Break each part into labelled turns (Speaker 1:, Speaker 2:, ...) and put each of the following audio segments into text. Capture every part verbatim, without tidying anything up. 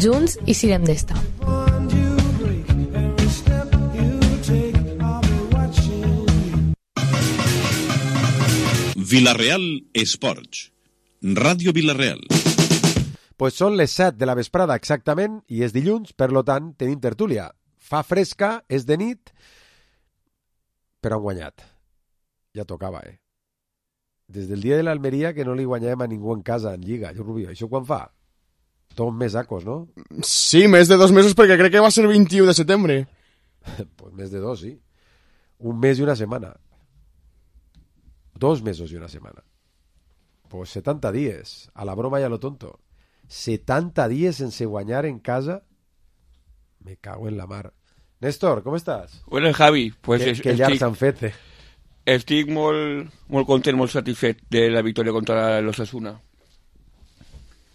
Speaker 1: junts i sirem d'esta.
Speaker 2: Vilareal Esports, Ràdio Vilareal.
Speaker 3: Pues són les set de la vesprada exactament i és dilluns, per lo tant tenim tertúlia. Fa fresca, és de nit, però han guanyat. Ja tocava, eh? Des del dia de l'Almeria que no li guanyàvem a ningú en casa, en Lliga. Jo, Rubio, això quan fa? Tot un mes acos, no?
Speaker 4: Sí, més de dos mesos perquè crec que va ser vint-i-u de setembre.
Speaker 3: Pues més de dos, sí. Un mes i una setmana. Dos mesos i una setmana. Pues setanta dies. A la broma i a lo tonto. setanta dies sense guanyar en casa. Me cago en la mar. Néstor, com estàs?
Speaker 5: Bueno, Javi, pues
Speaker 3: que,
Speaker 5: es,
Speaker 3: que llargs s'han fet, eh?
Speaker 5: Estic molt, molt content, molt satisfet de la victòria contra l'Osasuna.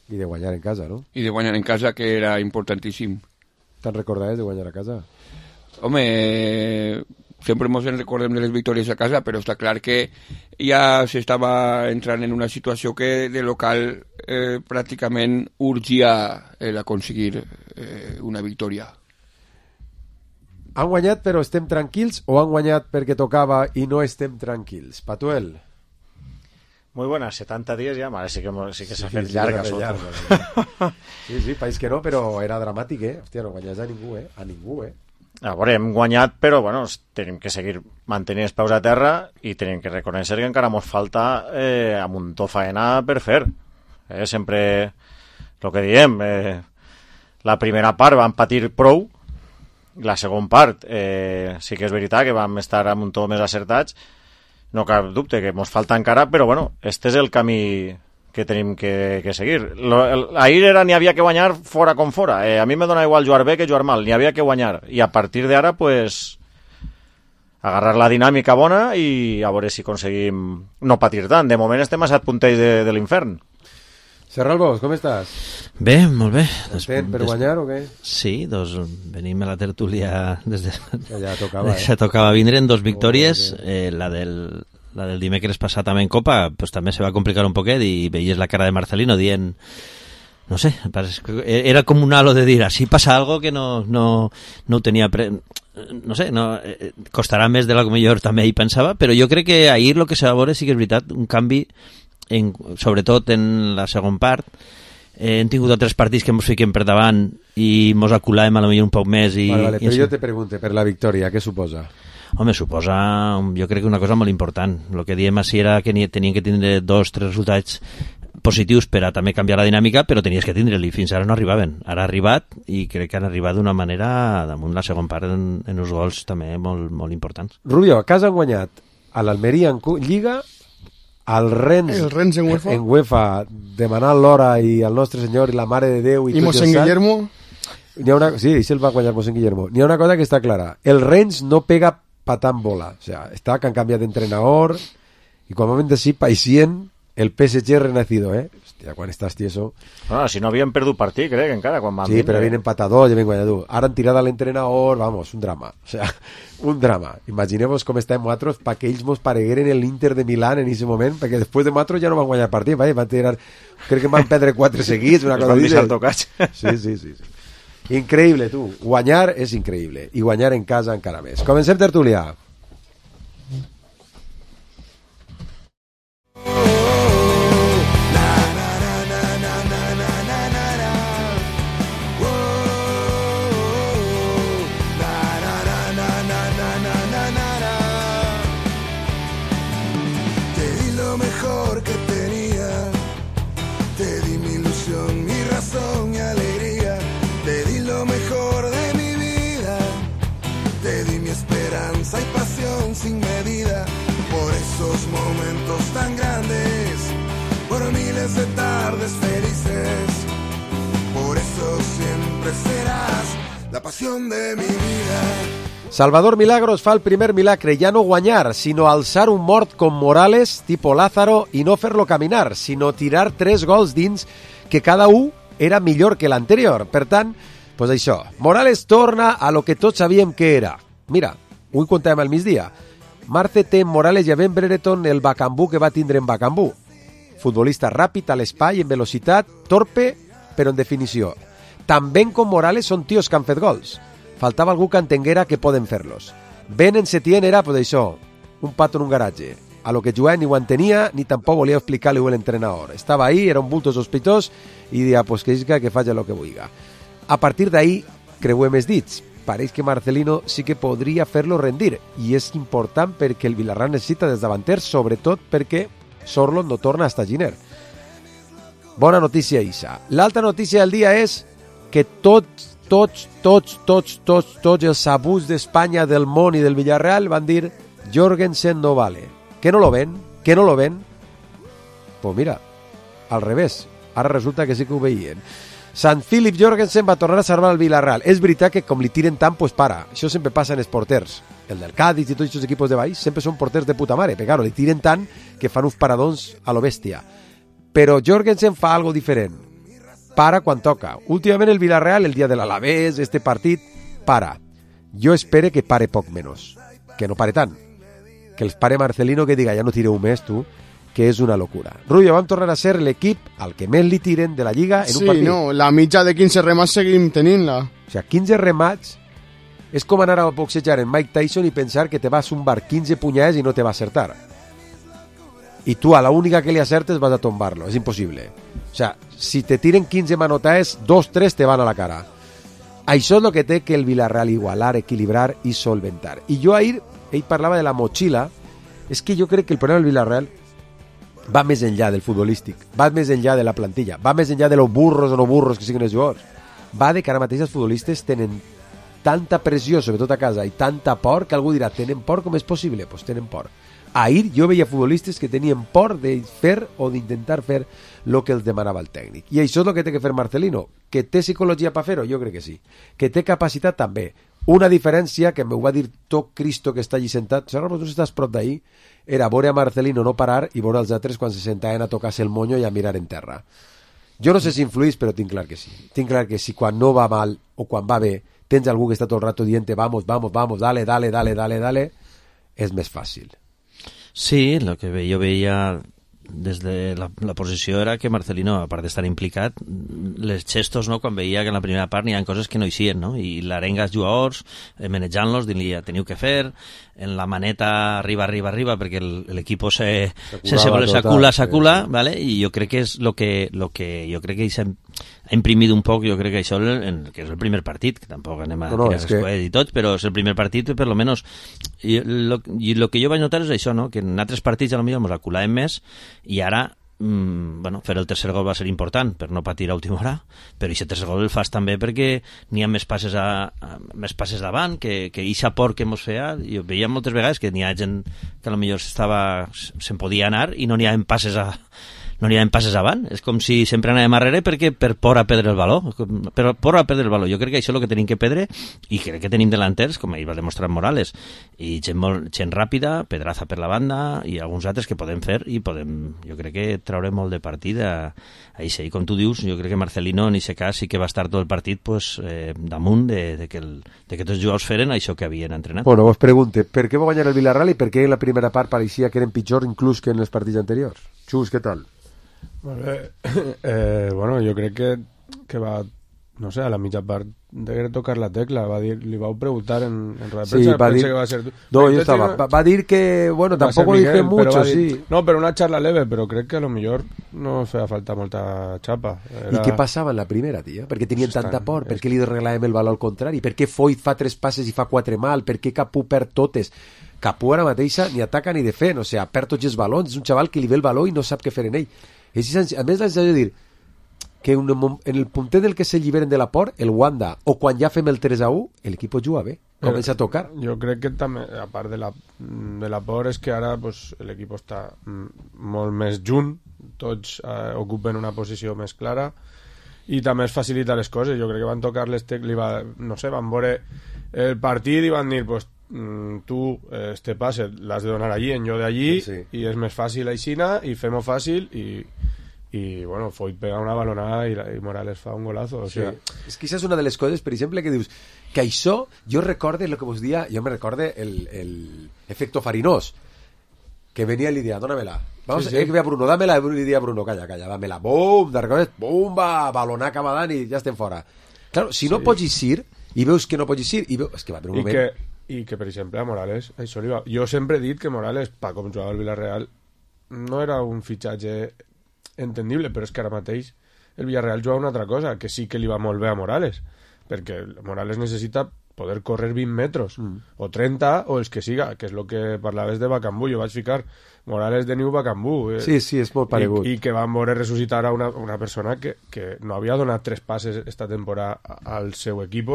Speaker 3: I de guanyar en casa, no?
Speaker 5: I de guanyar en casa, que era importantíssim.
Speaker 3: Te'n recordaves de guanyar a casa?
Speaker 5: Home, sempre ens en recordem de les victòries a casa, però està clar que ja s'estava entrant en una situació que de local eh, pràcticament urgia el aconseguir eh, una victòria.
Speaker 3: Han guanyat però estem tranquils o han guanyat perquè tocava i no estem tranquils? Patuel.
Speaker 6: Muy buenas, setanta días ya, vale, sí que, sí que s'ha
Speaker 3: Sí,
Speaker 6: fet
Speaker 3: sí,
Speaker 6: llarga.
Speaker 3: sí, llarga. Sí, sí, país que no, però era dramàtic, eh? Hòstia, no guanyes a ningú, eh? A ningú, eh?
Speaker 6: A veure, hem guanyat, però bueno, tenim que seguir mantenint els peus a terra i tenim que reconèixer que encara ens falta eh, a muntó faena per fer. Eh, sempre el que diem, eh, la primera part vam patir prou, la segona part eh, sí que és veritat que vam estar a muntó més acertats, no cap dubte que ens falta encara, però bueno, este és el camí que tenim que, que seguir. Lo, el, ahir era n'hi havia que guanyar fora com fora. Eh, a mi me dona igual jugar bé que jugar mal, n'hi havia que guanyar. I a partir d'ara, pues, agarrar la dinàmica bona i a veure si aconseguim no patir tant. De moment estem a set punters de, de l'infern.
Speaker 3: Serralbos, com estàs?
Speaker 7: Bé, molt bé.
Speaker 3: Content per guanyar o què?
Speaker 7: Sí, doncs venim a la tertúlia des de...
Speaker 3: Ja tocava, eh?
Speaker 7: Ja tocava vindre en dos victòries. Eh, la del... La del dimecres passat també en Copa pues, també se va complicar un poquet i veies la cara de Marcelino dient, no sé, era com un halo de dir, si passa algo que no, no, no ho tenia pre... no sé, no, eh, costarà més de la que millor també hi pensava, però jo crec que ahir el que s'ha de veure sí que és veritat, un canvi en, sobretot en la segona part. Eh, hem tingut altres partits que ens fiquem per davant i ens aculàvem a lo millor un poc més i,
Speaker 3: vale, vale,
Speaker 7: i
Speaker 3: però
Speaker 7: això...
Speaker 3: jo te pregunte, per la victòria, què suposa?
Speaker 7: Home, suposa, jo crec que una cosa molt important. El que diem així era que tenien que tindre dos, tres resultats positius per a també canviar la dinàmica, però tenies que tindre-li, fins ara no arribaven. Ara ha arribat i crec que han arribat d'una manera, damunt la segona part, en, en uns gols també molt, molt importants.
Speaker 3: Rubio, a casa han guanyat a l'Almeria en Lliga, al Rennes,
Speaker 4: el Rennes en UEFA,
Speaker 3: en UEFA demanant l'hora i el nostre senyor i la Mare de Déu i,
Speaker 4: i Mossèn Guillermo.
Speaker 3: N'hi ha una... Sí, això el va guanyar Mossèn Guillermo. N'hi ha una cosa que està clara. El Rennes no pega patant bola. O sea, está que han cambiado de entrenador y cuando momento sí, paisien el P S G renacido, ¿eh? Hòstia, quan estàs tieso...
Speaker 6: No, si no havien perdut partit, crec, encara, quan van
Speaker 3: sí,
Speaker 6: vindre.
Speaker 3: però viene empatador, ja ben guanyador. Ara han tirat a l'entrenador, vamos, un drama. O sea, un drama. Imaginemos com estem nosaltres pa que ells mos paregueren el Inter de Milán en ese moment, perquè després de nosaltres ja no van guanyar partit, ¿vale? Van tirar... Crec que van perdre quatre seguits, una cosa
Speaker 6: així. Van tocats.
Speaker 3: Sí, sí, sí, sí. Increïble, tu. Guanyar és increïble. I guanyar en casa encara més. Comencem tertúlia.
Speaker 8: Hay pasión sin medida por esos momentos tan grandes, por miles de tardes felices. Por eso siempre serás la pasión de mi vida.
Speaker 3: Salvador Milagros fa el primer milagre, ja no guanyar, sinó alçar un mort com Morales, tipo Lázaro, i no fer-lo caminar, sinó tirar tres gols dins, que cada un era millor que l'anterior. Per tant, pues això, Morales torna a lo que tots sabíem que era. Mira, avui contàvem al migdia. Marce té en Morales i a Ben Brereton el Bacambú que va tindre en Bacambú. Futbolista ràpid a l'espai, en velocitat, torpe, però en definició. Tan Ben com Morales són tios que han fet gols. Faltava algú que entenguera que poden fer-los. Ben en Setién era, pues això, un pato en un garatge. A lo que Joan ni ho entenia, ni tampoc volia explicar-li a l'entrenador. Estava ahí, era un bulto sospitós, i dia, pues que isca, que faci el que vulga. A partir d'ahí, creuem els dits. Pareix que Marcelino sí que podria fer-lo rendir, i és important perquè el Villarreal necessita dels davanters, sobretot perquè Sorlot no torna hasta Giner. Bona notícia, Isa. L'altra notícia del dia és que tots, tots, tots, tots, tots, tots els abusos d'Espanya, del món i del Villarreal van dir Jorgensen no vale. ¿Que no lo ven? ¿Que no lo ven? Pues mira, al revés. Ara resulta que sí que ho veien. Sant Philip Jorgensen va tornar a salvar el Villarreal. És veritat que com li tiren tant, pues para. Això sempre passa en els porters. El del Cádiz i tots aquests equipos de baix sempre són porters de puta mare. Però claro, li tiren tant que fan uns paradons a lo bèstia. Però Jorgensen fa algo diferent. Para quan toca. Últimament el Villarreal, el dia de l'Alavés, este partit, para. Jo espere que pare poc menys. Que no pare tant. Que els pare Marcelino que diga ja no tireu més tu, que és una locura. Rubio, vam tornar a ser l'equip al que més li tiren de la Lliga en
Speaker 4: sí,
Speaker 3: un partit.
Speaker 4: Sí, no, la mitja de quinze remats seguim tenint-la.
Speaker 3: O sigui, quinze remats és com anar a boxejar en Mike Tyson i pensar que te vas a un bar quinze punyades i no te va a acertar. I tu a la única que li acertes vas a tombar-lo. És impossible. O sigui, si te tiren quinze manotaes, dos, tres te van a la cara. Això és el que té que el Villarreal igualar, equilibrar i solventar. I jo ahir, ell parlava de la motxilla, és que jo crec que el problema del Villarreal va més enllà del futbolístic, va més enllà de la plantilla, va més enllà de los burros o no burros que siguin els jugadors. Va de que ara mateix els futbolistes tenen tanta pressió, sobretot a casa, i tanta por, que algú dirà, tenen por, com és possible? Doncs pues tenen por. Ahir jo veia futbolistes que tenien por de fer o d'intentar fer el que els demanava el tècnic. I això és el que té que fer Marcelino. Que té psicologia per fer-ho? Jo crec que sí. Que té capacitat també. Una diferència que m'ho va dir tot Cristo que està allí sentat, si tu estàs prop d'ahir, era veure a Marcelino no parar i veure els altres quan se sentaven a tocar-se el monyo i a mirar en terra. Jo no sé si influís, però tinc clar que sí. Tinc clar que si quan no va mal o quan va bé tens algú que està tot el rato dient vamos, vamos, vamos, dale, dale, dale, dale, dale, és més fàcil.
Speaker 7: Sí, el que jo veia des de la, la posició era que Marcelino, a part d'estar implicat, les gestos, no?, quan veia que en la primera part n'hi ha coses que no hi sien, no?, i l'arenga els jugadors, eh, manejant-los, dient-li, teniu que fer, en la maneta arriba, arriba, arriba, perquè l'equip se, se, se vol s'acula, s'acula, sí, sí. ¿Vale? I jo crec que és lo que, lo que jo crec que s'ha ha imprimit un poc, jo crec que això en, que és el primer partit, que tampoc anem a no, no, tirar els coets i tots, però és el primer partit, per lo menos, i lo, i lo que jo vaig notar és això, no?, que en altres partits a lo millor ens aculàvem més, i ara, mmm, bueno, fer el tercer gol va ser important per no patir a última hora, però aquest tercer gol el fas també perquè n'hi ha més passes, a, a, més passes davant, que, que eixa por que mos feia, jo veia moltes vegades que n'hi ha gent que a lo millor estava, se'n podia anar i no n'hi ha passes a no n'hi ha passes avant, és com si sempre anàvem arrere perquè per por a perdre el valor, per por a perdre el valor. Jo crec que això és el que tenim que perdre, i crec que tenim delanters, com ahir va demostrar Morales, i gent, molt, gent ràpida, Pedraza per la banda, i alguns altres que podem fer, i podem, jo crec que traure molt de partit a, a això. I com tu dius, jo crec que Marcelino en aquest cas sí que va estar tot el partit pues, eh, damunt de, de, que el, de que tots els jugadors feren això que havien entrenat.
Speaker 3: Bueno, vos pregunte, per què va guanyar el Villarreal i per què en la primera part pareixia que eren pitjor inclús que en els partits anteriors? Xus, què tal?
Speaker 1: Molt bé. Eh, bueno, jo crec que, que va, no sé, a la mitja part de tocar la tecla, va dir, li vau preguntar en, en roda de premsa,
Speaker 3: sí, va dir,
Speaker 1: que va ser tu.
Speaker 3: No, jo estava, va, va dir que, bueno, tampoco dije mucho, dir, sí.
Speaker 1: No, pero una charla leve, pero crec que a lo millor no feia falta molta xapa. Era...
Speaker 3: I què passava en la primera, tia? Per què tenien pues tanta por? Per què li regalàvem el valor al contrari? Per què Foyt fa tres passes i fa quatre mal? Per què Capú perd totes? Capú ara mateixa ni ataca ni defen, o sigui, perd tots els balons, és un xaval que li ve el valor i no sap què fer en ell. És, a més, la sensació de dir que en el puntet del que se lliberen de la por, el Wanda, o quan ja fem el tres a u, l'equip juga bé, comença a tocar.
Speaker 1: Jo crec que també, a part de la, de la por, és que ara pues, l'equip està molt més junt, tots eh, ocupen una posició més clara, i també es facilita les coses. Jo crec que van tocar les tecles, va, no sé, van veure el partit i van dir, pues, tu este passe l'has de donar allí, en jo d'allí, sí, sí. I és més fàcil aixina, i fem-ho fàcil, i, i bueno, Foyt pega una balonada i, i Morales fa un golazo, o
Speaker 3: sí.
Speaker 1: sea...
Speaker 3: És que això és una de les coses, per exemple, que dius que això, jo recorde el que vos dia, jo me recorde el, el efecto Farinós, que venia i li dia, dónamela, vamos, sí, sí. Eh, que ve a Bruno, dámela, i li dia a Bruno, calla, calla, dámela, bum, de recordes, bum, va, balonà cap avant i ja estem fora. Claro, si no
Speaker 1: Sí.
Speaker 3: pots eixir i veus que no pots eixir i veus... És que va haver un
Speaker 1: I
Speaker 3: moment...
Speaker 1: que, i que, per exemple, a Morales, això li va... jo sempre he dit que Morales, pa com jugava al Villarreal, no era un fitxatge entendible, però és que ara mateix el Villarreal juga una altra cosa, que sí que li va molt bé a Morales, perquè Morales necessita poder córrer vint metres, mm. o trenta, o els que siga, que és el que parlaves de Bacambú. Jo vaig ficar Morales de Niu Bacambú. Eh?
Speaker 3: Sí, sí, és molt paregut.
Speaker 1: I, i que van veure ressuscitar a una, una persona que, que no havia donat tres passes esta temporada al seu equip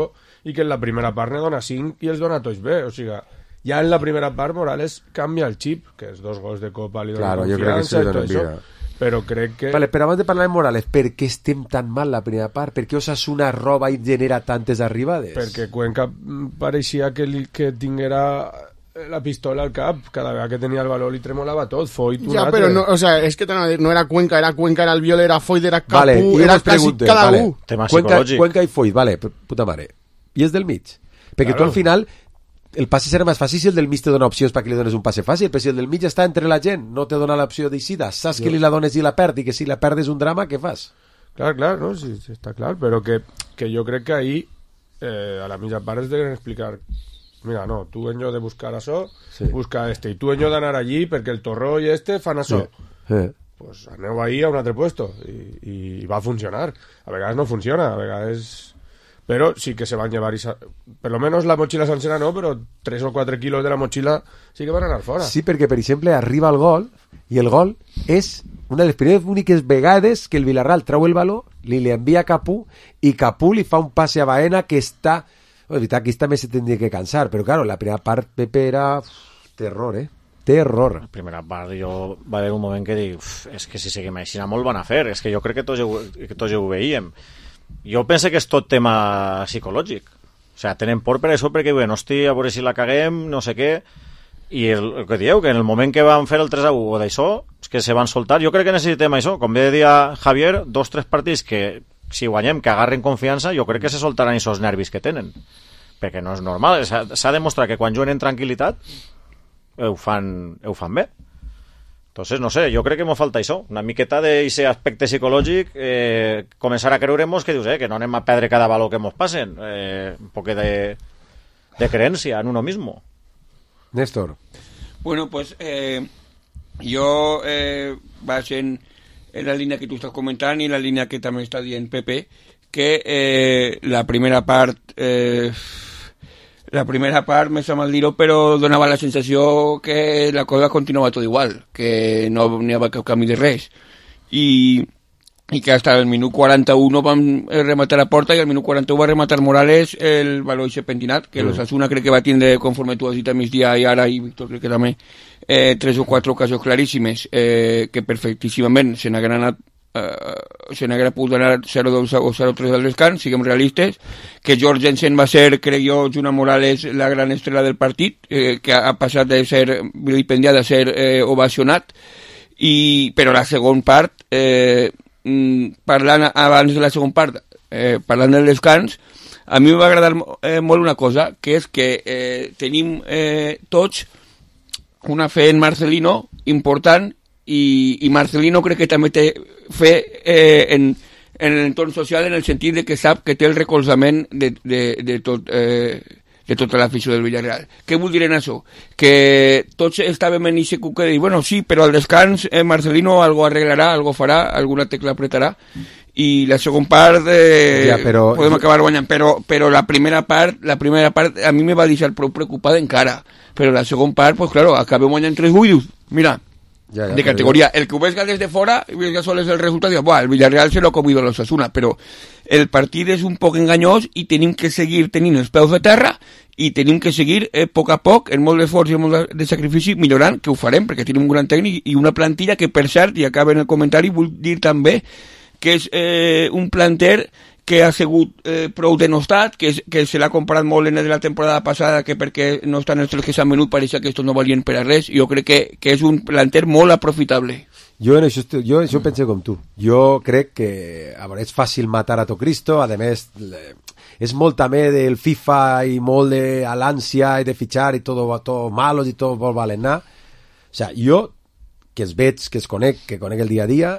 Speaker 1: i que en la primera part ne dona cinc i els dona tots bé. O sigui, ja en la primera part Morales canvia el xip, que els dos gols de Copa li donen
Speaker 3: Claro, jo crec que sí
Speaker 1: confiança
Speaker 3: li
Speaker 1: i tot
Speaker 3: donen vida.
Speaker 1: això. Però crec que...
Speaker 3: Vale, però abans de parlar de Morales, per què estem tan mal la primera part? Per què Osasuna roba i genera tantes arribades?
Speaker 1: Perquè Cuenca mm, pareixia que, li, que tinguera la pistola al cap, cada vegada que tenia el valor li tremolava tot, Foyt un
Speaker 4: Ja,
Speaker 1: altre.
Speaker 4: però no, o sea, es que t'anava a dir, no era Cuenca, era Cuenca, era el Viol, era Foyt, era Capú,
Speaker 3: Vale, i
Speaker 4: era
Speaker 3: us
Speaker 4: quasi
Speaker 3: pregunte,
Speaker 4: cada
Speaker 3: vale.
Speaker 4: un.
Speaker 6: Tema
Speaker 3: Cuenca,
Speaker 6: psicològic.
Speaker 3: Cuenca i Foyt, vale, puta mare. I és del mig. Perquè
Speaker 1: Claro.
Speaker 3: tu al final el passe serà més fàcil si el del mig te dona opcions perquè li dones un passe fàcil, però si el del mig està entre la gent, no te dona l'opció d'eixida, saps que li la dones i la perd, i que si la perdes un drama, què fas?
Speaker 1: Clar, clar, no? Sí, sí, està clar, però que, que jo crec que ahir eh, a la mitja part es deuen explicar mira, no, tu en lloc de buscar això,
Speaker 3: Sí.
Speaker 1: busca este, i tu en lloc d'anar allí perquè el Torró i este fan això.
Speaker 3: Eh.
Speaker 1: Pues aneu ahí a un altre puesto i, i va funcionar. A vegades no funciona, a vegades... Però sí que se van llevar, y sa... per lo menos la mochila sencera no, però tres o quatre quilos de la mochila sí que van anar fora.
Speaker 3: Sí, perquè, per exemple, arriba el gol, i el gol és una de les primeres úniques vegades que el Villarreal trau el valor, li li envia a Capú, i Capú li fa un passe a Baena que està... Oh, és veritat, aquí també se tindria que cansar, però, claro, la primera part, Pepe, era uf, terror, eh? Terror.
Speaker 6: La primera part jo va haver un moment que dic uf, és que si seguim així molt van a fer, és que jo crec que tots, ho- que tots ho veiem. Jo penso que és tot tema psicològic, o sigui, tenen por per això, perquè bueno, hosti, a veure si la caguem, no sé què, i el, el que dieu, que en el moment que van fer el tres a u o d'això, és que se van soltar. Jo crec que necessitem això, com bé dia Javier, dos tres partits que si guanyem, que agarren confiança, jo crec que se soltaran aquests nervis que tenen, perquè no és normal, s'ha s'ha demostrat que quan juguen en tranquil·litat ho fan, ho fan bé. Entonces, no sé, jo crec que m'ho falta això, una miqueta d'aquest aspecte psicològic, eh, començar a creure-nos que dius, eh, que no anem a perdre cada valor que mos passen, eh, un poc de, de creencia en uno mismo.
Speaker 3: Néstor.
Speaker 5: Bueno, pues eh, yo eh, vas en, en la línea que tú estás comentando y en la línea que también está dient Pepe, que eh, la primera part eh, la primera part, me sap mal dir-ho, però donava la sensació que la cosa continuava tot igual, que no n'hi havia cap canvi de res. I, i que hasta el minut quaranta-u vam rematar la porta i al minut quaranta-u va rematar Morales el valor eixe pentinat, que mm. l'Osasuna crec que va tindre, conforme tu has dit a migdia i ara, i Víctor crec que també, eh, tres o quatre ocasions claríssimes eh, que perfectíssimament se n'hagueren anat Uh, se n'haguera pogut donar zero dos o zero tres al descans, siguem realistes, que Jorgensen va ser, crec jo, junt amb Morales, la gran estrella del partit, eh, que ha passat de ser vilipendiat a ser eh, ovacionat, i, però la segona part, eh, parlant abans de la segona part, eh, parlant del descans, a mi m'ha agradat eh, molt una cosa, que és que eh, tenim eh, tots una fe en Marcelino important, i, i Marcelino crec que també té fe eh, en, en l'entorn social, en el sentit de que sap que té el recolzament de, de, de, tot, eh, de tota l'afició del Villarreal. Què vull dir en això? Que tots estàvem en aquest cuc que dir, bueno, sí, però al descans eh, Marcelino algo arreglarà, algo farà, alguna tecla apretarà, i la segona part eh,
Speaker 3: ja, però...
Speaker 5: podem acabar guanyant, però, però la primera part la primera part a mi me va deixar prou preocupada encara, però la segona part, pues claro, acabem guanyant tres buidos, mira,
Speaker 3: Ja, ja,
Speaker 5: de categoría. El que ho ves des de fora i ves sols el resultat, dius, el Villarreal se lo ha comido l'Osasuna, però el partit és un poc enganyós i tenim que seguir tenint els peus de terra i tenim que seguir eh, a poc a poc, en molt d'esforç i molt de sacrifici, millorant, que ho farem, perquè tenim un gran tècnic i una plantilla que, per cert, i acaba en el comentari, vull dir també que és eh, un planter que ha sigut eh, prou denostat, que, que se l'ha comparat molt en la temporada passada, que perquè no estan els tres que s'han venut pareixia que estos no valien per a res. Jo crec que, que és un planter molt aprofitable.
Speaker 3: Jo en això, jo en això penso com tu. Jo crec que a veure, és fàcil matar a tot Cristo, a més és molt també del FIFA i molt de a l'ànsia i de fitxar i tot, tot malos i tot vol valen anar. O sea, jo, que es veig, que es conec, que conec el dia a dia,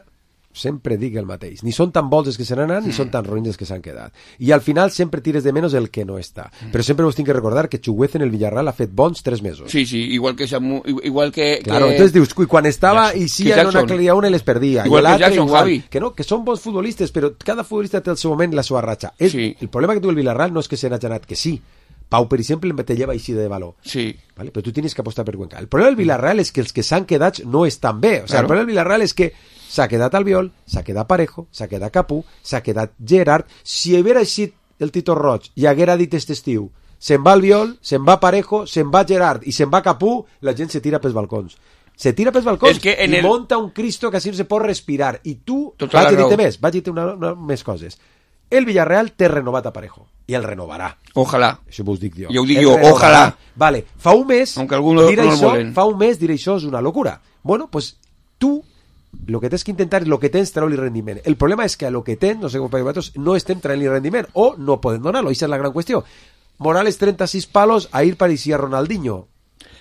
Speaker 3: sempre dic el mateix. Ni són tan bons els que se n'han anat, ni són tan roïns els que s'han quedat. I al final sempre tires de menys el que no està. Però sempre us tinc que recordar que Chuguez en el Villarreal ha fet bons tres mesos.
Speaker 5: Sí, sí, igual que Samu, igual que...
Speaker 3: Claro,
Speaker 5: que...
Speaker 3: entonces dius, cuy, quan estava i si no n'aclaria una i les perdia.
Speaker 5: Igual
Speaker 3: I
Speaker 5: que Jackson,
Speaker 3: igual,
Speaker 5: Javi.
Speaker 3: que no, que són bons futbolistes, però cada futbolista té el seu moment i la seva ratxa. És,
Speaker 5: Sí.
Speaker 3: El problema que tu el Villarreal no és que se n'hagi anat, que sí. Pau, per exemple, te lleva així de valor.
Speaker 5: Sí.
Speaker 3: ¿Vale? Pero tú tienes que apostar per Cuenca. El problema del Villarreal és que els que s'han quedat no estan bé. O sea,
Speaker 5: Claro.
Speaker 3: el problema del Villarreal és que s'ha quedat Albiol, s'ha quedat Parejo, s'ha quedat Capú, s'ha quedat Gerard. Si haguera eixit el Tito Roig i haguera dit este estiu se'n va Albiol, se'n va Parejo, se'n va Gerard i se'n va Capú, la gent se tira pels balcons. Se tira pels balcons
Speaker 5: És que en
Speaker 3: i
Speaker 5: el-
Speaker 3: monta un Cristo que així no se pot respirar. I tu,
Speaker 5: Tota la
Speaker 3: vaig a dir-te
Speaker 5: raó.
Speaker 3: més, vaig a dir-te una, una, més coses. El Villarreal té renovat a Parejo i el renovarà.
Speaker 5: Ojalà.
Speaker 3: Això vos dic jo.
Speaker 5: Jo ho dic
Speaker 3: El
Speaker 5: jo,
Speaker 3: renovarà.
Speaker 5: ojalà.
Speaker 3: Vale, fa un mes
Speaker 5: Aunque algunos
Speaker 3: dir
Speaker 5: no el
Speaker 3: això,
Speaker 5: volen.
Speaker 3: fa un mes dir això és una locura. Bueno, pues tu lo que tens que intentar és lo que tens treure-li rendiment. El problema és que a lo que tens, no sé com per vosaltres, no estem traient-li rendiment o no poden donar-lo, aquesta és la gran qüestió. Morales trenta-sis palos, ahir pareixia Ronaldinho.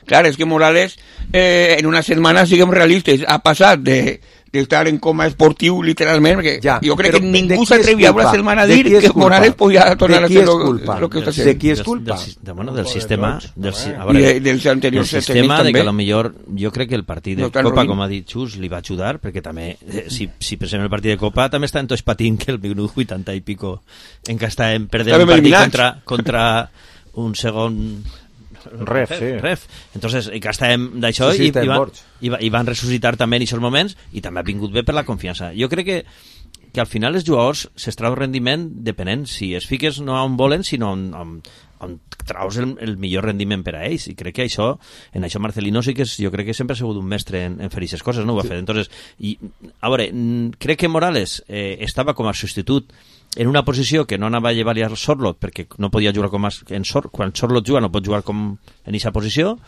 Speaker 5: Claro, es que Morales eh, en una setmana, siguem realistes, ha passat de, de estar en coma esportiu literalment, perquè
Speaker 3: Ja,
Speaker 5: jo crec
Speaker 3: però
Speaker 5: que
Speaker 3: de
Speaker 5: ningú
Speaker 3: qui és
Speaker 5: s'atrevia a una
Speaker 3: culpa?
Speaker 5: setmana a
Speaker 3: De
Speaker 5: dir
Speaker 3: qui és
Speaker 5: que
Speaker 3: culpa?
Speaker 5: Morales podia tornar
Speaker 3: De
Speaker 5: a
Speaker 3: qui
Speaker 5: fer
Speaker 3: és
Speaker 5: lo,
Speaker 3: culpa?
Speaker 5: lo que està
Speaker 3: De
Speaker 5: fent.
Speaker 3: qui és
Speaker 7: Del-
Speaker 3: culpa?
Speaker 7: Del, del, bueno, del
Speaker 1: Culpa de
Speaker 7: sistema...
Speaker 1: tots,
Speaker 7: Del,
Speaker 1: també.
Speaker 7: a
Speaker 5: I
Speaker 7: veure,
Speaker 5: de, dels
Speaker 7: del
Speaker 5: anteriors
Speaker 7: sistema
Speaker 5: tècnics
Speaker 7: de que a
Speaker 5: també.
Speaker 7: lo millor jo crec que el partit de
Speaker 5: No tan
Speaker 7: Copa,
Speaker 5: ruïn.
Speaker 7: com ha dit Xus, li va ajudar, perquè també, eh, si, si pensem en el partit de Copa, també estan tots patint que el minut vuitanta i pico en què estàvem perdent
Speaker 5: Estàvem
Speaker 7: un partit
Speaker 5: eliminats.
Speaker 7: contra, contra un segon
Speaker 6: Ref, sí.
Speaker 7: ref. Entonces, i que estàvem d'això
Speaker 3: Sí, sí,
Speaker 7: i,
Speaker 3: estem
Speaker 7: i, van,
Speaker 3: morts.
Speaker 7: i, va- i van ressuscitar també en aquests moments i també ha vingut bé per la confiança. Jo crec que que al final els jugadors s'extrau rendiment depenent si es fiques no on volen sinó on, on, on traus el, el millor rendiment per a ells i crec que això, en això Marcelino sí que és, jo crec que sempre ha sigut un mestre en, en fer aquestes coses, no ho ha fet. Entonces, i, a veure, mm, crec que Morales eh, estava com a substitut en una posició que no anava a llevar-li a Sorlot perquè no podia jugar com a, en Sor, quan Sorlot juga no pot jugar com en aquesta posició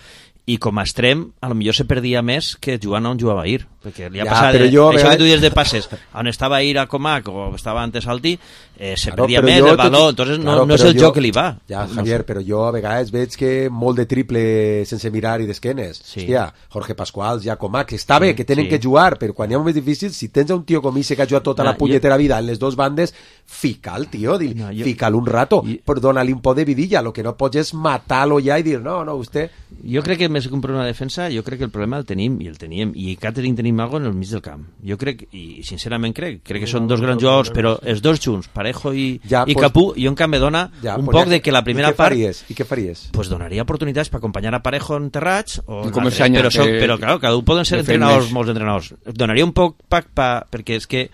Speaker 7: i com a extrem a lo millor se perdia més que jugant on jugava ahir perquè li ha
Speaker 3: Ja,
Speaker 7: passat,
Speaker 3: però
Speaker 7: eh,
Speaker 3: jo, a
Speaker 7: això que
Speaker 3: vegades-
Speaker 7: tu dius de passes on estava ahir a Comac o estava antes Alti eh, se
Speaker 3: Claro,
Speaker 7: perdia
Speaker 3: però
Speaker 7: més
Speaker 3: jo
Speaker 7: el valor,
Speaker 3: tot-
Speaker 7: entonces no,
Speaker 3: claro,
Speaker 7: no és
Speaker 3: però
Speaker 7: el
Speaker 3: jo-
Speaker 7: joc que li va.
Speaker 3: Ja,
Speaker 7: No
Speaker 3: Javier,
Speaker 7: sé.
Speaker 3: però jo a vegades veig que molt de triple sense mirar i d'esquenes.
Speaker 7: Sí.
Speaker 3: Hòstia, Jorge Pascual, ja Comac, està bé,
Speaker 7: Sí,
Speaker 3: que tenen
Speaker 7: sí.
Speaker 3: que jugar, però quan hi ha moments difícils, si tens un tio com ese que ha jugat tota
Speaker 7: No,
Speaker 3: la punyetera vida en les dues bandes, fica'l, tio, di,
Speaker 7: No, jo-
Speaker 3: fica'l un rato,
Speaker 7: I-
Speaker 3: però dona-li un poc de vidilla, lo que no pots és matar-lo ja i dir, no, no, vostè...
Speaker 7: Jo crec que més que un problema de defensa, jo crec que el problema el tenim, i el teníem, i a Catering tenim algo en el mig del camp. Jo crec, i sincerament crec, crec que són dos grans jugadors, però els dos junts, Parejo i,
Speaker 3: Ja,
Speaker 7: i
Speaker 3: pues-
Speaker 7: Capú, jo en canvi dona
Speaker 3: Ja,
Speaker 7: un
Speaker 3: pues
Speaker 7: poc
Speaker 3: ja-
Speaker 7: de que la primera
Speaker 3: I què
Speaker 7: part
Speaker 3: faries? I què faries?
Speaker 7: pues donaria oportunitats per acompanyar a Parejo en terrats o
Speaker 5: I com
Speaker 7: l'altre.
Speaker 5: el Sanya,
Speaker 7: però, són,
Speaker 5: que-
Speaker 7: però claro, cada un poden ser
Speaker 5: que fem
Speaker 7: entrenadors,
Speaker 5: més.
Speaker 7: molts entrenadors. Donaria un poc pa, pa, perquè és que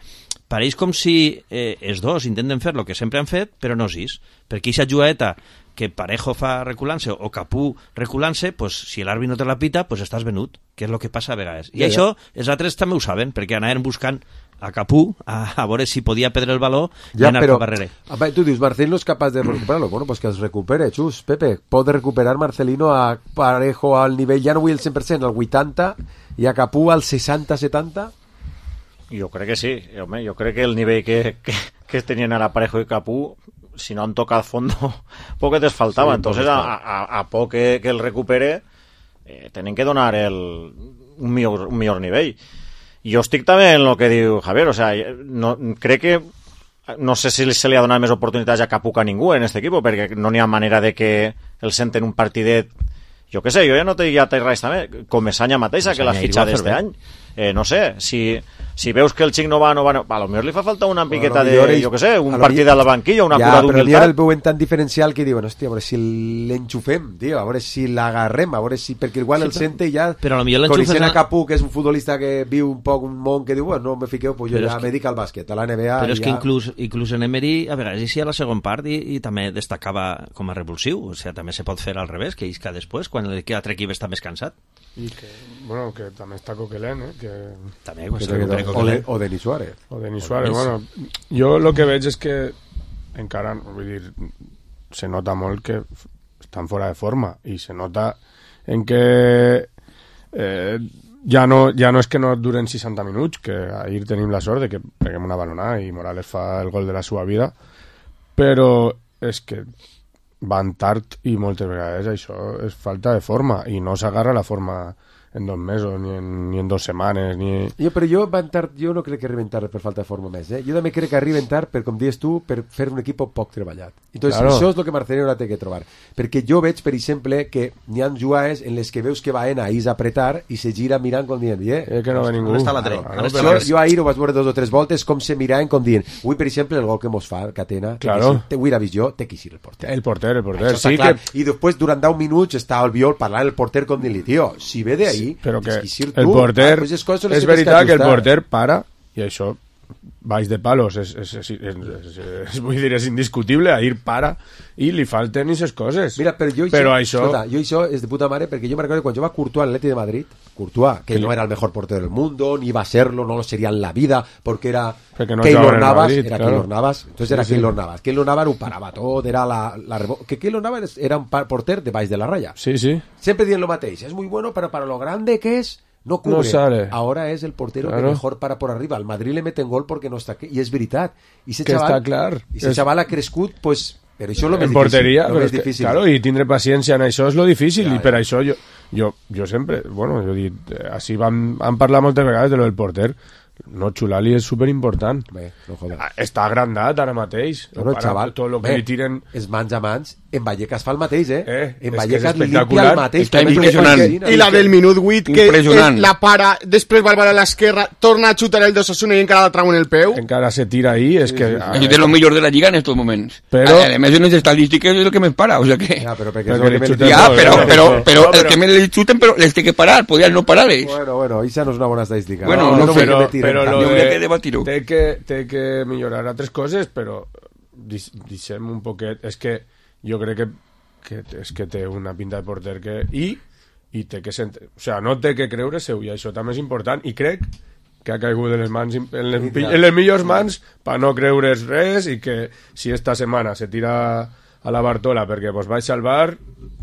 Speaker 7: pareix com si eh, els dos intenten fer el que sempre han fet, però no sis. Perquè aquesta jugaeta que Parejo fa reculant-se o Capú reculant-se, pues, si l'àrbitre no te la pita, pues estàs venut, que és el que passa a vegades. I
Speaker 3: Ja,
Speaker 7: això els altres també ho saben, perquè anaven buscant a Capú a, a veure si podia perdre el valor i anar
Speaker 3: però
Speaker 7: cap darrere.
Speaker 3: a veure, tu dius, Marcelino és capaç de recuperar-lo. Bueno, pues que els recupere, Xus, Pepe. Pot recuperar Marcelino a Parejo al nivell, ja no vull el cent per cent, al vuitanta, i a Capú al seixanta setanta?
Speaker 6: Jo crec que sí, home, jo crec que el nivell que, que, que tenien ara Parejo i Capú, si no han tocado fondo, poc les faltava.
Speaker 3: Sí,
Speaker 6: Entonces,
Speaker 3: poc
Speaker 6: a, a, a poc que, que el recupere, eh, tenen que donar el, un, millor, un millor nivell. Jo estic també en el que diu Javier, o sea, no, crec que no sé si se li ha donat més oportunitats a Capú que a ningú en aquest equip, perquè no n'hi ha manera de que el senten un partidet. Jo què sé, jo ja no te diria res també, com Messanya mateixa, que l'ha
Speaker 7: Messanya
Speaker 6: fitxat
Speaker 7: ahir ho va
Speaker 6: este
Speaker 7: fer
Speaker 6: any. Eh, no sé, si, si veus que el xic no va, no va, no, a lo millor li fa falta una piqueta
Speaker 3: a lo
Speaker 6: de,
Speaker 3: millor ells-
Speaker 6: jo què sé,
Speaker 3: a
Speaker 6: un
Speaker 3: lo
Speaker 6: partit
Speaker 3: millor-
Speaker 6: a la banquilla, una
Speaker 3: ja,
Speaker 6: cura
Speaker 3: però ara
Speaker 6: d'humilitat.
Speaker 3: el veuen tan diferencial que diuen, hòstia, a veure si l'enxufem, tio, a veure si l'agarrem, a veure si... Perquè igual
Speaker 7: Sí,
Speaker 3: el
Speaker 7: però-
Speaker 3: sente i ja...
Speaker 7: però a lo millor l'enxufes
Speaker 3: Coneixent a
Speaker 7: a-
Speaker 3: Capú, que és un futbolista que viu un poc un món que diu, bueno, no me fiqueu, pues jo
Speaker 7: Però
Speaker 3: ja
Speaker 7: és que-
Speaker 3: me dedico al bàsquet, a la N B A...
Speaker 7: Però és
Speaker 3: i
Speaker 7: que
Speaker 3: ja...
Speaker 7: inclús, inclús en Emery a vegades hi a la segona part i, i també destacava com a revulsiu, o sigui, també se pot fer al revés, que isca després, quan l'altre equip està més cansat.
Speaker 1: I que, bueno, que també està Coquelin, eh? Que,
Speaker 7: També, quan
Speaker 3: Que
Speaker 7: se
Speaker 3: te-
Speaker 7: recupera
Speaker 3: o,
Speaker 7: Coquelin.
Speaker 3: de, o Denis Suárez.
Speaker 1: o Denis Suárez,
Speaker 7: Denis.
Speaker 1: bueno, jo el que veig és que encara, vull dir, se nota molt que estan fora de forma i se nota en que eh, ja, no, ja no és que no duren seixanta minuts, que ahir tenim la sort de que peguem una balonada i Morales fa el gol de la seva vida, però és que van tard i moltes vegades això és falta de forma i no s'agarra la forma en dos mesos, ni en, ni en dos setmanes, ni...
Speaker 3: Jo, però jo, van tard, jo no crec que arriben tard per falta de forma més, eh? Jo també crec que arriben tard, per, com dius tu, per fer un equip poc treballat. Entonces,
Speaker 1: Claro.
Speaker 3: això és el que Marcelino ara té que trobar. Perquè jo veig, per exemple, que n'hi ha jugades en les que veus que va en ahir a apretar i se gira mirant com dient, eh,
Speaker 1: Eh, que no ve ningú.
Speaker 7: On està l'altre?
Speaker 1: Claro,
Speaker 7: On està
Speaker 1: però
Speaker 3: jo,
Speaker 1: és-
Speaker 3: jo ahir ho vaig veure dos o tres voltes com se miraven com dient, avui per exemple el gol que mos fa Catena,
Speaker 1: Claro.
Speaker 3: avui l'ha vist jo, té que eixir el porter.
Speaker 1: El porter, el porter,
Speaker 3: Això està
Speaker 1: sí
Speaker 3: clar.
Speaker 1: que...
Speaker 3: I després durant deu minuts estava el Viol parlant el porter com dient-li, tio, si ve d'ahir,
Speaker 1: Sí, però que
Speaker 3: tens eixir
Speaker 1: el
Speaker 3: tu.
Speaker 1: porter,
Speaker 3: Ah, pues les coses les
Speaker 1: és
Speaker 3: tens
Speaker 1: veritat que el
Speaker 3: ajustar.
Speaker 1: porter para, i això baix de palos és, és, és, és, és, és, vull dir, és indiscutible, ahir para i li falten aquestes coses.
Speaker 3: Mira, però jo,
Speaker 1: però
Speaker 3: això,
Speaker 1: això...
Speaker 3: escolta, jo això és de puta mare perquè jo me recordo quan jo va Courtois al Atleti de Madrid, Courtois, que no era el mejor portero del mundo, ni iba a serlo, no lo sería en la vida, porque era
Speaker 1: Perquè no
Speaker 3: Keylor
Speaker 1: jugaba en el
Speaker 3: Navas,
Speaker 1: Madrid,
Speaker 3: era
Speaker 1: claro.
Speaker 3: Keylor Navas, entonces
Speaker 1: Sí,
Speaker 3: era
Speaker 1: sí.
Speaker 3: Keylor Navas. Keylor Navas ho parava tot, era la, la rebo... que Keylor Navas era un pa- porter de baix de la raya.
Speaker 1: Sí, sí.
Speaker 3: Siempre dicen lo mateix, es muy bueno, pero para lo grande que es, no cubre.
Speaker 1: No sale.
Speaker 3: Ahora es el portero
Speaker 1: Claro.
Speaker 3: que mejor para por arriba. Al Madrid le meten gol porque no está aquí. Y es veritat. Y ese
Speaker 1: Que
Speaker 3: chaval,
Speaker 1: està clar.
Speaker 3: Y ese
Speaker 1: És-
Speaker 3: chaval ha crescut, pues... Però això és lo més
Speaker 1: En porteria,
Speaker 3: difícil. Lo
Speaker 1: però
Speaker 3: més
Speaker 1: és que,
Speaker 3: difícil.
Speaker 1: claro, i tindre paciència en això és lo difícil,
Speaker 3: Ja,
Speaker 1: i per
Speaker 3: ja.
Speaker 1: això jo, jo, jo sempre, bueno, jo he dit, eh, així vam, vam parlar moltes vegades de lo del porter, no, Xulali és superimportant.
Speaker 3: Bé, no joder.
Speaker 1: Ah, Està agrandat ara mateix.
Speaker 3: No, no,
Speaker 1: Para
Speaker 3: xaval,
Speaker 1: tot el que
Speaker 3: bé,
Speaker 1: li tiren...
Speaker 3: és mans a mans, en Vallecas fa el mateix, eh?
Speaker 1: Eh,
Speaker 3: en
Speaker 1: és que
Speaker 3: Vallecas
Speaker 1: és
Speaker 3: li limpia
Speaker 1: espectacular.
Speaker 3: el mateix.
Speaker 5: Està
Speaker 3: també
Speaker 5: impressionant.
Speaker 3: perquè-
Speaker 4: I la del minut vuit, que
Speaker 5: Impressionant.
Speaker 4: eh, la para, després va a l'esquerra, torna a xutar el d'Osasuna i encara la trau en el peu.
Speaker 1: Encara se tira ahí, és que...
Speaker 5: Es de lo mejor de la liga en estos momentos.
Speaker 1: Pero-
Speaker 5: Además, en las estadísticas es lo que me para. O sea que.
Speaker 3: Ja, però perquè
Speaker 1: Perquè
Speaker 3: és lo
Speaker 1: li
Speaker 3: que me-
Speaker 1: xuten
Speaker 5: Ya,
Speaker 1: todo,
Speaker 5: pero,
Speaker 1: ¿no?
Speaker 5: pero,
Speaker 1: No,
Speaker 5: pero,
Speaker 1: pero-
Speaker 5: el que me le chuten, pero les tiene que parar. Podían no pararles.
Speaker 3: Bueno, bueno, esa no és una bona estadística.
Speaker 5: Bueno,
Speaker 3: no,
Speaker 5: no,
Speaker 3: no vull
Speaker 1: però,
Speaker 3: que me tiren
Speaker 1: però
Speaker 3: tant.
Speaker 1: lo
Speaker 5: No hauria
Speaker 1: de,
Speaker 5: que debatir-ho.
Speaker 1: té que, té que millorar altres coses, però dis- deixem un poquet... És que jo crec que, que és que té una pinta de porter que... I, i té que sent... O sea, no té que creure seu, i això també és important, i crec que ha caigut en les, mans, en les,
Speaker 3: Sí, clar.
Speaker 1: en les millors mans per no creure's res, i que si esta setmana se tira a la Bartola perquè vos vaig salvar,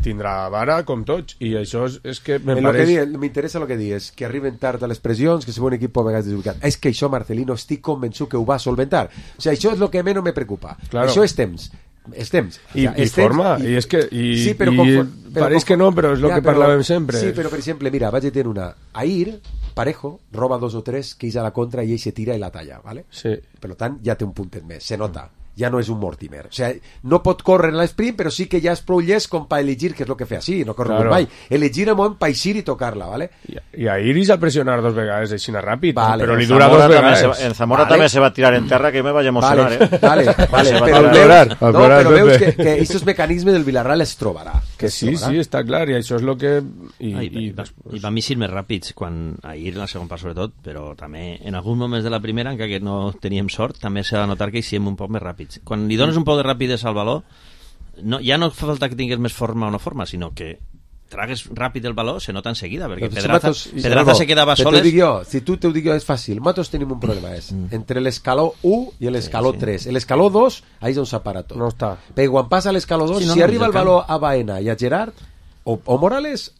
Speaker 1: tindrà vara com tots, i això és, és que me
Speaker 3: En lo que
Speaker 1: pareix...
Speaker 3: di, m'interessa el que dius, que arriben tard a les pressions, que se un equip a vegades desubicat. És que això Marcelino estic convençut que ho va solventar. O sigui, això és el que menys me preocupa.
Speaker 1: Claro.
Speaker 3: Això és temps. És temps.
Speaker 1: I,
Speaker 3: O sea,
Speaker 1: i
Speaker 3: és temps
Speaker 1: forma, i, és que i,
Speaker 3: sí, però
Speaker 1: i
Speaker 3: confon- però
Speaker 1: pareix
Speaker 3: confon-
Speaker 1: que no, però és el
Speaker 3: Ja,
Speaker 1: que
Speaker 3: però-
Speaker 1: parlàvem sempre.
Speaker 3: Sí, però per exemple, mira, vaig a tenir una. Ahir, Parejo roba dos o tres que és a la contra i ell se tira i la talla, ¿vale?
Speaker 1: Sí.
Speaker 3: Per tant, ja té un puntet més, se nota. Ja no és un Mortimer. O sea, no pot córrer en l'esprint, però sí que ja és prou llest com per elegir, que és el que fa així, no corre
Speaker 1: Claro.
Speaker 3: mai. Elegir el moment per eixir i tocar-la, ¿vale?
Speaker 1: I, i a Iris a pressionar dos vegades així ràpid,
Speaker 3: Vale,
Speaker 1: però li
Speaker 3: en
Speaker 1: dura
Speaker 6: Zamora
Speaker 1: dos
Speaker 6: també
Speaker 1: vegades.
Speaker 6: se, en Zamora
Speaker 3: Vale.
Speaker 6: també se va tirar en terra, que me vaig emocionar,
Speaker 3: Vale,
Speaker 6: eh?
Speaker 3: vale, vale,
Speaker 6: Se va
Speaker 3: però
Speaker 6: tirar.
Speaker 3: veus,
Speaker 1: Plorar,
Speaker 3: no,
Speaker 1: plorar,
Speaker 3: però veus que,
Speaker 1: Pepe.
Speaker 3: que aquests mecanismes del Villarreal es trobarà.
Speaker 1: Que
Speaker 3: es
Speaker 1: sí,
Speaker 3: trobarà.
Speaker 1: sí, està clar, i això és el que... I,
Speaker 7: Ah, i,
Speaker 1: i,
Speaker 7: i, va,
Speaker 1: després-
Speaker 7: i van eixir més ràpids quan ahir en la segona part sobretot, però també en alguns moments de la primera, encara que no teníem sort, també s'ha de notar que eixíem un poc més ràpids. Quan li dones un poc de rapidesa al valor, no, ja no fa falta que tinguis més forma o no forma, sinó que tragues ràpid el valor, se nota enseguida, perquè
Speaker 3: Doncs si
Speaker 7: Pedraza,
Speaker 3: Matos-
Speaker 7: Pedraza
Speaker 3: Salvo,
Speaker 7: se quedava
Speaker 3: te
Speaker 7: soles...
Speaker 3: T'ho dic jo, si tu t'ho dic jo és fàcil. Nosaltres tenim un problema, és entre l'escaló u i l'escaló
Speaker 7: sí.
Speaker 3: tres. L'escaló dos, ahí és on s'apara tot.
Speaker 1: No està.
Speaker 3: Perquè quan passa a l'escaló dos,
Speaker 7: Sí, no,
Speaker 3: si
Speaker 7: no,
Speaker 3: arriba
Speaker 7: des
Speaker 3: el
Speaker 7: del
Speaker 3: valor a Baena i a Gerard, o, o Morales,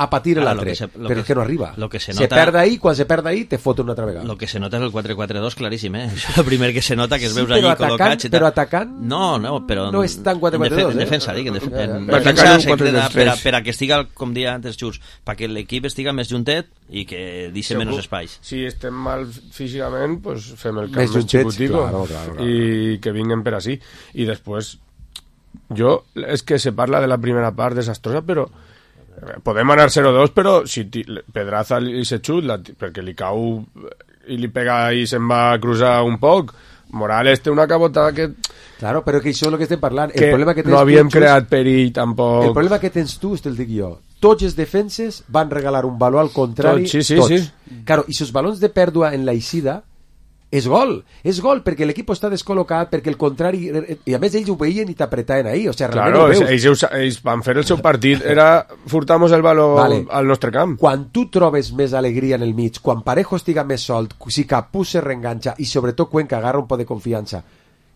Speaker 3: a patir
Speaker 7: Ara,
Speaker 3: l'altre.
Speaker 7: lo que se- lo
Speaker 3: Però
Speaker 7: que-
Speaker 3: és que no arriba.
Speaker 7: lo que se
Speaker 3: se
Speaker 7: nota-
Speaker 3: perd ahí, quan se perd ahí, te foten una altra vegada.
Speaker 7: Lo que se nota és el quatre quatre dos claríssim, eh? Això és el primer que se nota, que es
Speaker 3: Sí,
Speaker 7: veus
Speaker 3: però
Speaker 7: allí
Speaker 3: atacant-
Speaker 7: col·locats i tal.
Speaker 3: però atacant
Speaker 7: No, no, però...
Speaker 3: no és tan quatre quatre dos,
Speaker 7: en, defe
Speaker 3: eh?
Speaker 7: en defensa, dic, en, def
Speaker 3: Ja, ja.
Speaker 7: en
Speaker 3: Va
Speaker 7: defensa
Speaker 5: atacar un
Speaker 7: se
Speaker 5: quatre
Speaker 7: queda
Speaker 5: dos
Speaker 7: per a,
Speaker 5: tres.
Speaker 7: per a que estiga, com dia antes Xus, perquè l'equip estiga més juntet i que deixi menys espais.
Speaker 1: Si estem mal físicament, pues fem el camp
Speaker 3: Més
Speaker 1: més,
Speaker 3: juntets,
Speaker 1: xicutico
Speaker 3: claro, claro, claro.
Speaker 1: i que vinguen per així. I després, jo, és que se parla de la primera part desastrosa, però eh, podem anar zero dos, però si ti, Pedraza li se xut, la, perquè li cau i li pega i se'n va a cruzar un poc, Morales té una cabotada que,
Speaker 3: Claro, però que això és el que estem parlant.
Speaker 1: que
Speaker 3: el problema que tens
Speaker 1: no havíem
Speaker 3: tu, Xus,
Speaker 1: creat perill tampoc.
Speaker 3: El problema que tens tu, te'l dic jo, tots els defenses van regalar un valor al contrari,
Speaker 1: Tots, sí, sí,
Speaker 3: tots.
Speaker 1: sí.
Speaker 3: Claro, i els balons de pèrdua en la eixida és gol, és gol, perquè l'equip està descol·locat, perquè el contrari, i a més ells ho veien i t'apretaven ahí, o sigui, realment
Speaker 1: Claro,
Speaker 3: ho veus.
Speaker 1: ells, ells, ells van fer el seu partit, era furtamos el valor
Speaker 3: Vale.
Speaker 1: al nostre camp.
Speaker 3: Quan tu trobes més alegria en el mig, quan Parejo estiga més solt, si Capú se reenganxa i sobretot Cuenca agarra un poc de confiança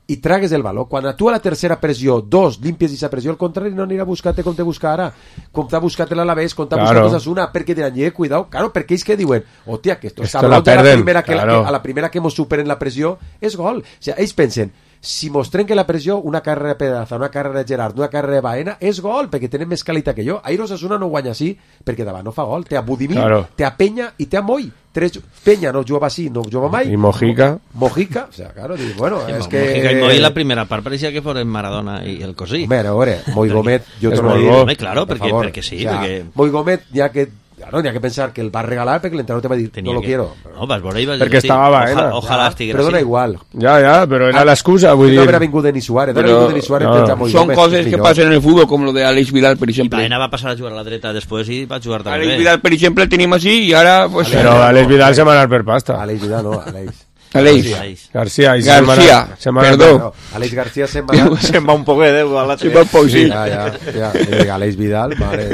Speaker 3: i tragues el valor, quan a tu a la tercera pressió dos, limpies aquesta pressió, al contrari no anirà a buscar-te com te busca ara, com t'ha buscat l'Alavés, com t'ha
Speaker 1: Claro.
Speaker 3: buscat Osasuna, perquè diran, eh, cuidao, claro, perquè ells que diuen, hòstia, que estos
Speaker 1: Esto
Speaker 3: cabrons
Speaker 1: la
Speaker 3: a la
Speaker 1: perden,
Speaker 3: primera que,
Speaker 1: claro.
Speaker 3: que a la primera que mos superen la pressió és gol, o sigui, ells pensen, si mos trenca la pressió, una carrera de Pedraza, una carrera de Gerard, una carrera de Baena, és gol, perquè tenen més qualitat que jo. Ahir Osasuna no guanya així, perquè davant no fa gol. Té a Budimir,
Speaker 1: Claro.
Speaker 3: té a Peña i té a Moll. Tres... Peña no jugava així, no jugava mai.
Speaker 1: Y Mojica.
Speaker 3: Mojica, o sea, claro, dic, bueno,
Speaker 7: Sí,
Speaker 3: és
Speaker 7: Mo-
Speaker 3: que...
Speaker 7: Mojica y Moy la primera part parecía que fueron Maradona y el Cosí.
Speaker 3: Hombre, a veure, Moy Gómez, jo
Speaker 1: És
Speaker 3: torno a
Speaker 1: molt
Speaker 3: dir...
Speaker 1: bo.
Speaker 7: Home, claro,
Speaker 3: per
Speaker 7: perquè-
Speaker 3: favor,
Speaker 7: perquè sí,
Speaker 3: o sea,
Speaker 7: perquè-
Speaker 3: Moy Gómez, ja que... Claro, n'hi ha que pensar que el va regalar perquè l'entrenador te va dir,
Speaker 7: Tenía
Speaker 3: no lo
Speaker 7: que-
Speaker 3: quiero.
Speaker 7: No, vas por ahí, vas
Speaker 1: Perquè
Speaker 7: decir,
Speaker 1: estava
Speaker 7: oja-
Speaker 1: Baena.
Speaker 7: Ojalá estiguera
Speaker 3: Però dona
Speaker 7: así.
Speaker 3: igual.
Speaker 1: Ya, ya, pero era la excusa, vull
Speaker 3: No
Speaker 1: dir...
Speaker 3: habrá vingut Denis Suárez, no habrá
Speaker 5: Però-
Speaker 3: vingut Denis Suárez,
Speaker 1: no.
Speaker 3: tens a Moy
Speaker 5: Són
Speaker 3: Gómez,
Speaker 5: coses
Speaker 3: és
Speaker 5: que
Speaker 3: millor.
Speaker 5: passen en el futbol, com lo de Alex Vidal, per exemple.
Speaker 7: Baena va passar a jugar a la dreta després i va jugar també
Speaker 5: Alex
Speaker 7: bé.
Speaker 5: Vidal, per exemple, el tenim així i ara... Pues,
Speaker 1: Pero Alex Vidal se va a dar per pasta.
Speaker 3: Aleix Vidal, no, Aleix.
Speaker 5: Aleix.
Speaker 7: Aleix.
Speaker 1: García. y se
Speaker 5: García,
Speaker 1: va a- se va a dar-
Speaker 5: perdó.
Speaker 3: No, Aleix García se'n va...
Speaker 6: Se'n va un poquet, eh, a l'altre.
Speaker 5: Sí, va poc, sí.
Speaker 3: Ja, ja, ja. Eh, Aleix Vidal, mare...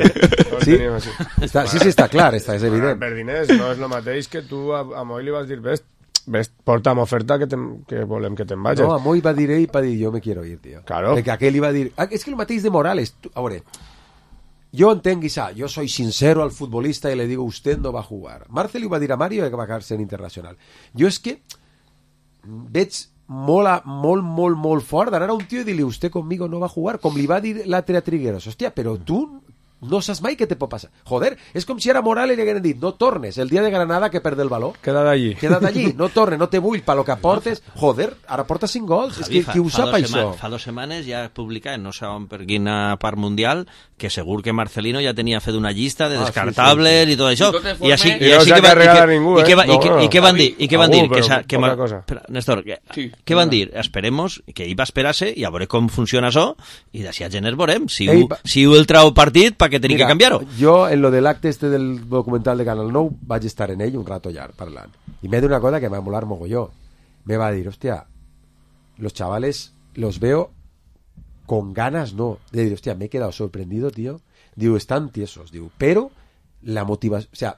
Speaker 3: Sí,
Speaker 1: teníem així.
Speaker 3: està, sí, sí, està clar, està, és
Speaker 1: Ah,
Speaker 3: evident.
Speaker 1: per diners, no és el mateix que tu a, a Moy li vas dir, ves, ves porta'm oferta que, te'n- que volem que te'n vagis.
Speaker 3: No, a Moy va dir ell, va dir, jo me quiero ir, tío.
Speaker 1: Claro.
Speaker 3: Perquè aquell li va dir... Ah, és que el mateix de Morales. Tu, a veure, yo entenc, Guisà, yo soy sincero al futbolista y le digo, usted no va a jugar. Marcel li va dir a Mario que va a ser internacional. Jo és que veig molt, a, molt, molt, molt fort d'anar a un tio i dir-li, usted conmigo no va a jugar, com li va dir l'altre a Trigueros. Hòstia, però tu no saps mai què te pot passar. Joder, és com si ara Morales li hagueren dit, no tornes el dia de Granada que perd el valor.
Speaker 1: Queda d'allí.
Speaker 3: Queda't allí, no tornes, no te vull, pa lo que aportes. Joder, ara porta cinc gols. És que
Speaker 7: Javi, fa-
Speaker 3: qui ho
Speaker 7: fa
Speaker 3: sap,
Speaker 7: dos
Speaker 3: això?
Speaker 7: sema- Fa dos setmanes ja publicat, no sé on per quina part mundial, que segur que Marcelino ja tenia fet una llista de
Speaker 3: Ah, sí,
Speaker 7: descartables i tot això.
Speaker 5: De totes
Speaker 7: I així,
Speaker 5: formes-
Speaker 7: i
Speaker 1: I no
Speaker 7: així
Speaker 1: s'ha
Speaker 7: que, va, i,
Speaker 1: carregat
Speaker 7: que,
Speaker 1: ningú,
Speaker 7: i, que va,
Speaker 1: eh?
Speaker 7: i, que,
Speaker 1: No,
Speaker 7: i què van dir? I què van
Speaker 1: algú,
Speaker 7: dir? Que,
Speaker 1: però
Speaker 7: sa, que
Speaker 1: poca
Speaker 7: ma-
Speaker 1: cosa.
Speaker 7: Espera, Néstor, que,
Speaker 5: Sí.
Speaker 7: què van dir? Esperemos que ell va esperar-se i a veure com funciona això i d'ací a gener veurem si,
Speaker 3: Ell
Speaker 7: ho,
Speaker 3: va-
Speaker 7: si ho el trau partit perquè tenir que canviar-ho.
Speaker 3: Jo, en lo de l'acte este del documental de Canal nou, vaig estar en ell un rato llarg parlant. I m'he d'una cosa que me va molar mogolló. Me va dir, hostia, los chavales los veo con ganas, no. Le digo, hostia, me he quedado sorprendido, tío. Digo, están tiesos, digo, pero la motivación, o sea,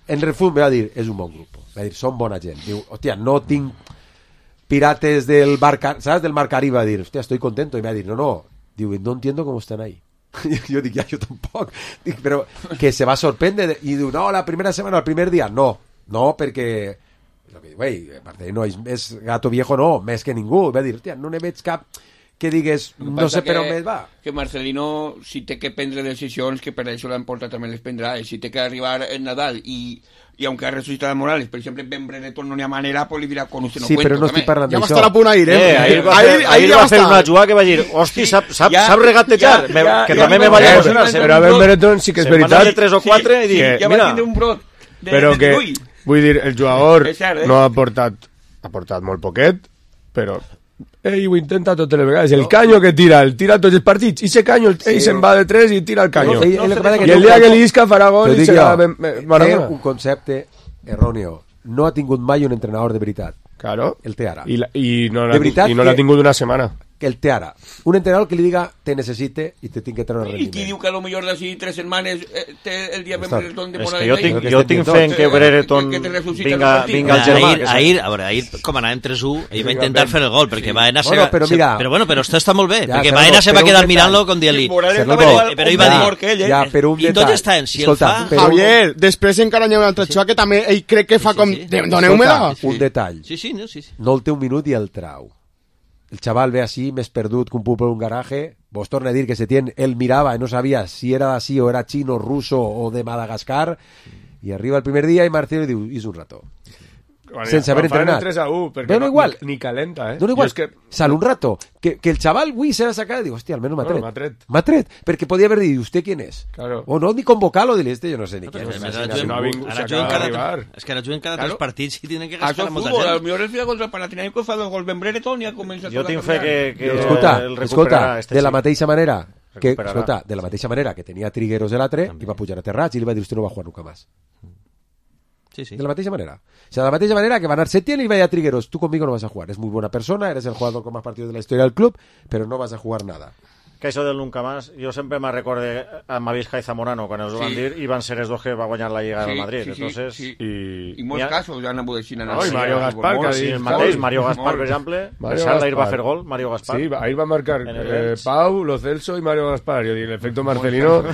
Speaker 3: en refund me va dir, és un bon grup. Va dir, són bona gent. Diu, hostia, no tinc pirates del bar, Car- ¿sabes? Del Mar Caribe. Va dir, hostia, estoy contento. Y me va dir, no, no. Digo, no entiendo cómo están ahí. Jo dic, ja, jo tampoc. Dic, però que se va sorprendre i diu, no, la primera setmana, el primer dia, no, no, perquè lo que diu, ei, Marcelino és, és gato viejo, no, més que ningú. Va dir, hòstia, no ne veig cap que digues,
Speaker 5: El que
Speaker 3: no
Speaker 5: passa
Speaker 3: sé per
Speaker 5: que-
Speaker 3: on més va.
Speaker 5: Que Marcelino, si té que prendre decisions, que per això l'han portat també les prendrà, i si té que arribar en Nadal i, i aunque ha resucitat a Morales, per exemple, en Brereton no n'hi ha manera, pues li dirà, con usted no
Speaker 3: Sí,
Speaker 5: cuento.
Speaker 3: però no estic
Speaker 5: també.
Speaker 3: parlant
Speaker 4: Ja va
Speaker 3: d'això.
Speaker 4: estar a punt ahir, eh?
Speaker 6: Eh, ahir va
Speaker 4: ahir,
Speaker 6: fer,
Speaker 4: ahir
Speaker 6: ahir
Speaker 4: ja
Speaker 6: va
Speaker 4: va
Speaker 6: fer
Speaker 4: estar.
Speaker 6: una jugada que va dir, hosti, sap, sap,
Speaker 5: Ja-
Speaker 6: sap regatejar,
Speaker 5: ja-
Speaker 6: Me-
Speaker 5: ja-
Speaker 6: que
Speaker 5: ja
Speaker 6: també
Speaker 5: me
Speaker 6: me va
Speaker 5: va
Speaker 6: emocionar.
Speaker 5: emocionar.
Speaker 1: Però a Ben Brereton sí que és
Speaker 6: Se'n van
Speaker 1: veritat
Speaker 6: anar de tres o quatre i dic,
Speaker 1: que-
Speaker 5: Ja va
Speaker 6: mira,
Speaker 5: tindre un brot de,
Speaker 1: però
Speaker 5: de,
Speaker 1: que,
Speaker 5: de l'ull.
Speaker 1: vull dir, el jugador
Speaker 5: És cert, eh?
Speaker 1: no ha portat ha portat molt poquet, però ell ho intenta totes les vegades. El canyo que tira, el tira tots els partits, i ese canyo, ell
Speaker 3: Sí.
Speaker 1: se'n va de tres i tira el canyo.
Speaker 3: No, ell- ell el que passa
Speaker 1: I
Speaker 3: que
Speaker 1: el
Speaker 3: té
Speaker 1: dia
Speaker 3: un-
Speaker 1: que li isca farà gol
Speaker 3: T'ho
Speaker 1: i
Speaker 3: dic
Speaker 1: serà
Speaker 3: jo,
Speaker 1: ben- ben-
Speaker 3: té
Speaker 1: Maradona.
Speaker 3: un concepte erròneo. No ha tingut mai un entrenador de veritat.
Speaker 1: Claro.
Speaker 3: El té ara.
Speaker 1: I, la, i no
Speaker 3: De
Speaker 1: l'ha
Speaker 3: veritat
Speaker 1: i no
Speaker 3: que-
Speaker 1: l'ha tingut una setmana.
Speaker 3: Que el té ara. Un entrenador que li diga, te necessite i te tinc que treure
Speaker 5: I
Speaker 3: rendiment.
Speaker 5: qui diu que a lo millor d'ací tres setmanes eh, té el dia Ben
Speaker 3: Està.
Speaker 5: Brereton de
Speaker 6: és
Speaker 5: Morales
Speaker 6: que jo
Speaker 5: ahí?
Speaker 6: tinc,
Speaker 3: que
Speaker 6: jo
Speaker 3: estem
Speaker 6: tinc
Speaker 3: dient
Speaker 6: fe en
Speaker 5: tot.
Speaker 6: que Brereton
Speaker 5: Que- que te resucita
Speaker 6: vinga,
Speaker 5: el partit.
Speaker 6: vinga al germà.
Speaker 7: ahir,
Speaker 6: que
Speaker 7: ahir, a veure, ahir, com anàvem tres u, ell va intentar fer el gol, perquè Baena se,
Speaker 3: Bueno, però
Speaker 7: se-
Speaker 3: mira-
Speaker 7: però bueno, però esto està molt bé,
Speaker 3: Ja,
Speaker 7: perquè
Speaker 3: però-
Speaker 7: Baena se va
Speaker 3: però un
Speaker 7: quedar
Speaker 3: detall.
Speaker 7: mirant-lo com dient-li...
Speaker 5: Morales
Speaker 3: Sergio,
Speaker 5: estava igual,
Speaker 7: però ell va
Speaker 5: o
Speaker 7: dir-
Speaker 5: mejor que ell, eh?
Speaker 3: Ja, però un
Speaker 7: I tot
Speaker 3: detall.
Speaker 7: està en si el
Speaker 3: Escolta,
Speaker 7: fa-
Speaker 3: però un-
Speaker 4: Javier, després encara hi ha un altre xua que també ell crec que fa
Speaker 7: Sí, sí,
Speaker 4: com...
Speaker 7: sí.
Speaker 4: Doneu-me-la.
Speaker 3: Escolta, un detall.
Speaker 7: Sí, sí, no, sí, sí.
Speaker 3: No el té un minut i el trau. El xaval ve així, més perdut que un pup en un garaje. Vos torna a dir que se tien, él mirava i no sabia si era d'ací o era xino, ruso o de Madagascar. I arriba el primer dia i Marcelo diu, és un rato. Sense haver
Speaker 1: Quan fan el
Speaker 3: entrenat.
Speaker 1: tres a u, perquè
Speaker 3: Dona
Speaker 1: no,
Speaker 3: igual.
Speaker 1: Ni, ni calenta, eh?
Speaker 3: No, igual,
Speaker 1: Jo és que...
Speaker 3: sal un rato. Que, que el xaval avui se va sacar, diu, hòstia, almenys m'ha
Speaker 1: Bueno,
Speaker 3: tret.
Speaker 1: m'ha tret.
Speaker 3: M'ha tret, perquè podia haver dit, ¿usted quién es?
Speaker 1: Claro.
Speaker 3: O no, ni convocar-lo, dir este, jo no sé ni quién
Speaker 7: Però
Speaker 3: és.
Speaker 7: ara
Speaker 3: Imagina,
Speaker 7: juguen-
Speaker 1: no ha vingut,
Speaker 7: ara
Speaker 1: s'acaba
Speaker 7: juguen cada
Speaker 1: d'arribar.
Speaker 7: tres- és que ara juguen cada
Speaker 5: Claro.
Speaker 7: tres partits i tenen que
Speaker 5: Això
Speaker 7: gastar
Speaker 5: és
Speaker 7: a molta
Speaker 5: futbol, a lo
Speaker 7: gent.
Speaker 5: millor el final contra el Panathinaikos fa dos gols Ben Brereton i ha començat
Speaker 6: Jo
Speaker 5: a
Speaker 6: tinc fe que, que
Speaker 3: Escolta,
Speaker 6: el
Speaker 3: escolta,
Speaker 6: recuperarà este
Speaker 3: de la
Speaker 6: xic.
Speaker 3: mateixa manera que,
Speaker 6: Recuperarà.
Speaker 3: escolta, de la mateixa manera que tenia Trigueros de l'altre, i va pujar a Terrats i li va dir, usted no va jugar nunca más.
Speaker 7: Sí, sí.
Speaker 3: De la mateixa manera. O sea, de la mateixa manera que va anar Setién y va a Trigueros, tú conmigo no vas a jugar. Es muy buena persona, eres el jugador con más partidos de la historia del club, pero no vas a jugar nada.
Speaker 6: Que això del nunca más, jo sempre me recorde a Mavisca i Zamorano quan els ho van
Speaker 5: Sí.
Speaker 6: dir i van ser els dos que va guanyar la Lliga del Madrid.
Speaker 5: Sí, sí,
Speaker 6: Entonces,
Speaker 5: sí.
Speaker 1: I...
Speaker 5: I molts
Speaker 6: Ja-
Speaker 5: casos ja han hagut així.
Speaker 1: No, i Mario Gaspar, que ha
Speaker 6: sí,
Speaker 1: dit
Speaker 6: el mateix,
Speaker 1: Pau.
Speaker 6: Mario Gaspar,
Speaker 5: Molt.
Speaker 6: per exemple,
Speaker 1: Mario
Speaker 6: Mario ahir va
Speaker 1: Gaspar.
Speaker 6: fer gol, Mario Gaspar.
Speaker 1: Sí, ahí va a marcar
Speaker 6: En el
Speaker 1: eh,
Speaker 6: Lens.
Speaker 1: Pau, Lo Celso y Mario Gaspar. Yo digo, el efecto Marcelino,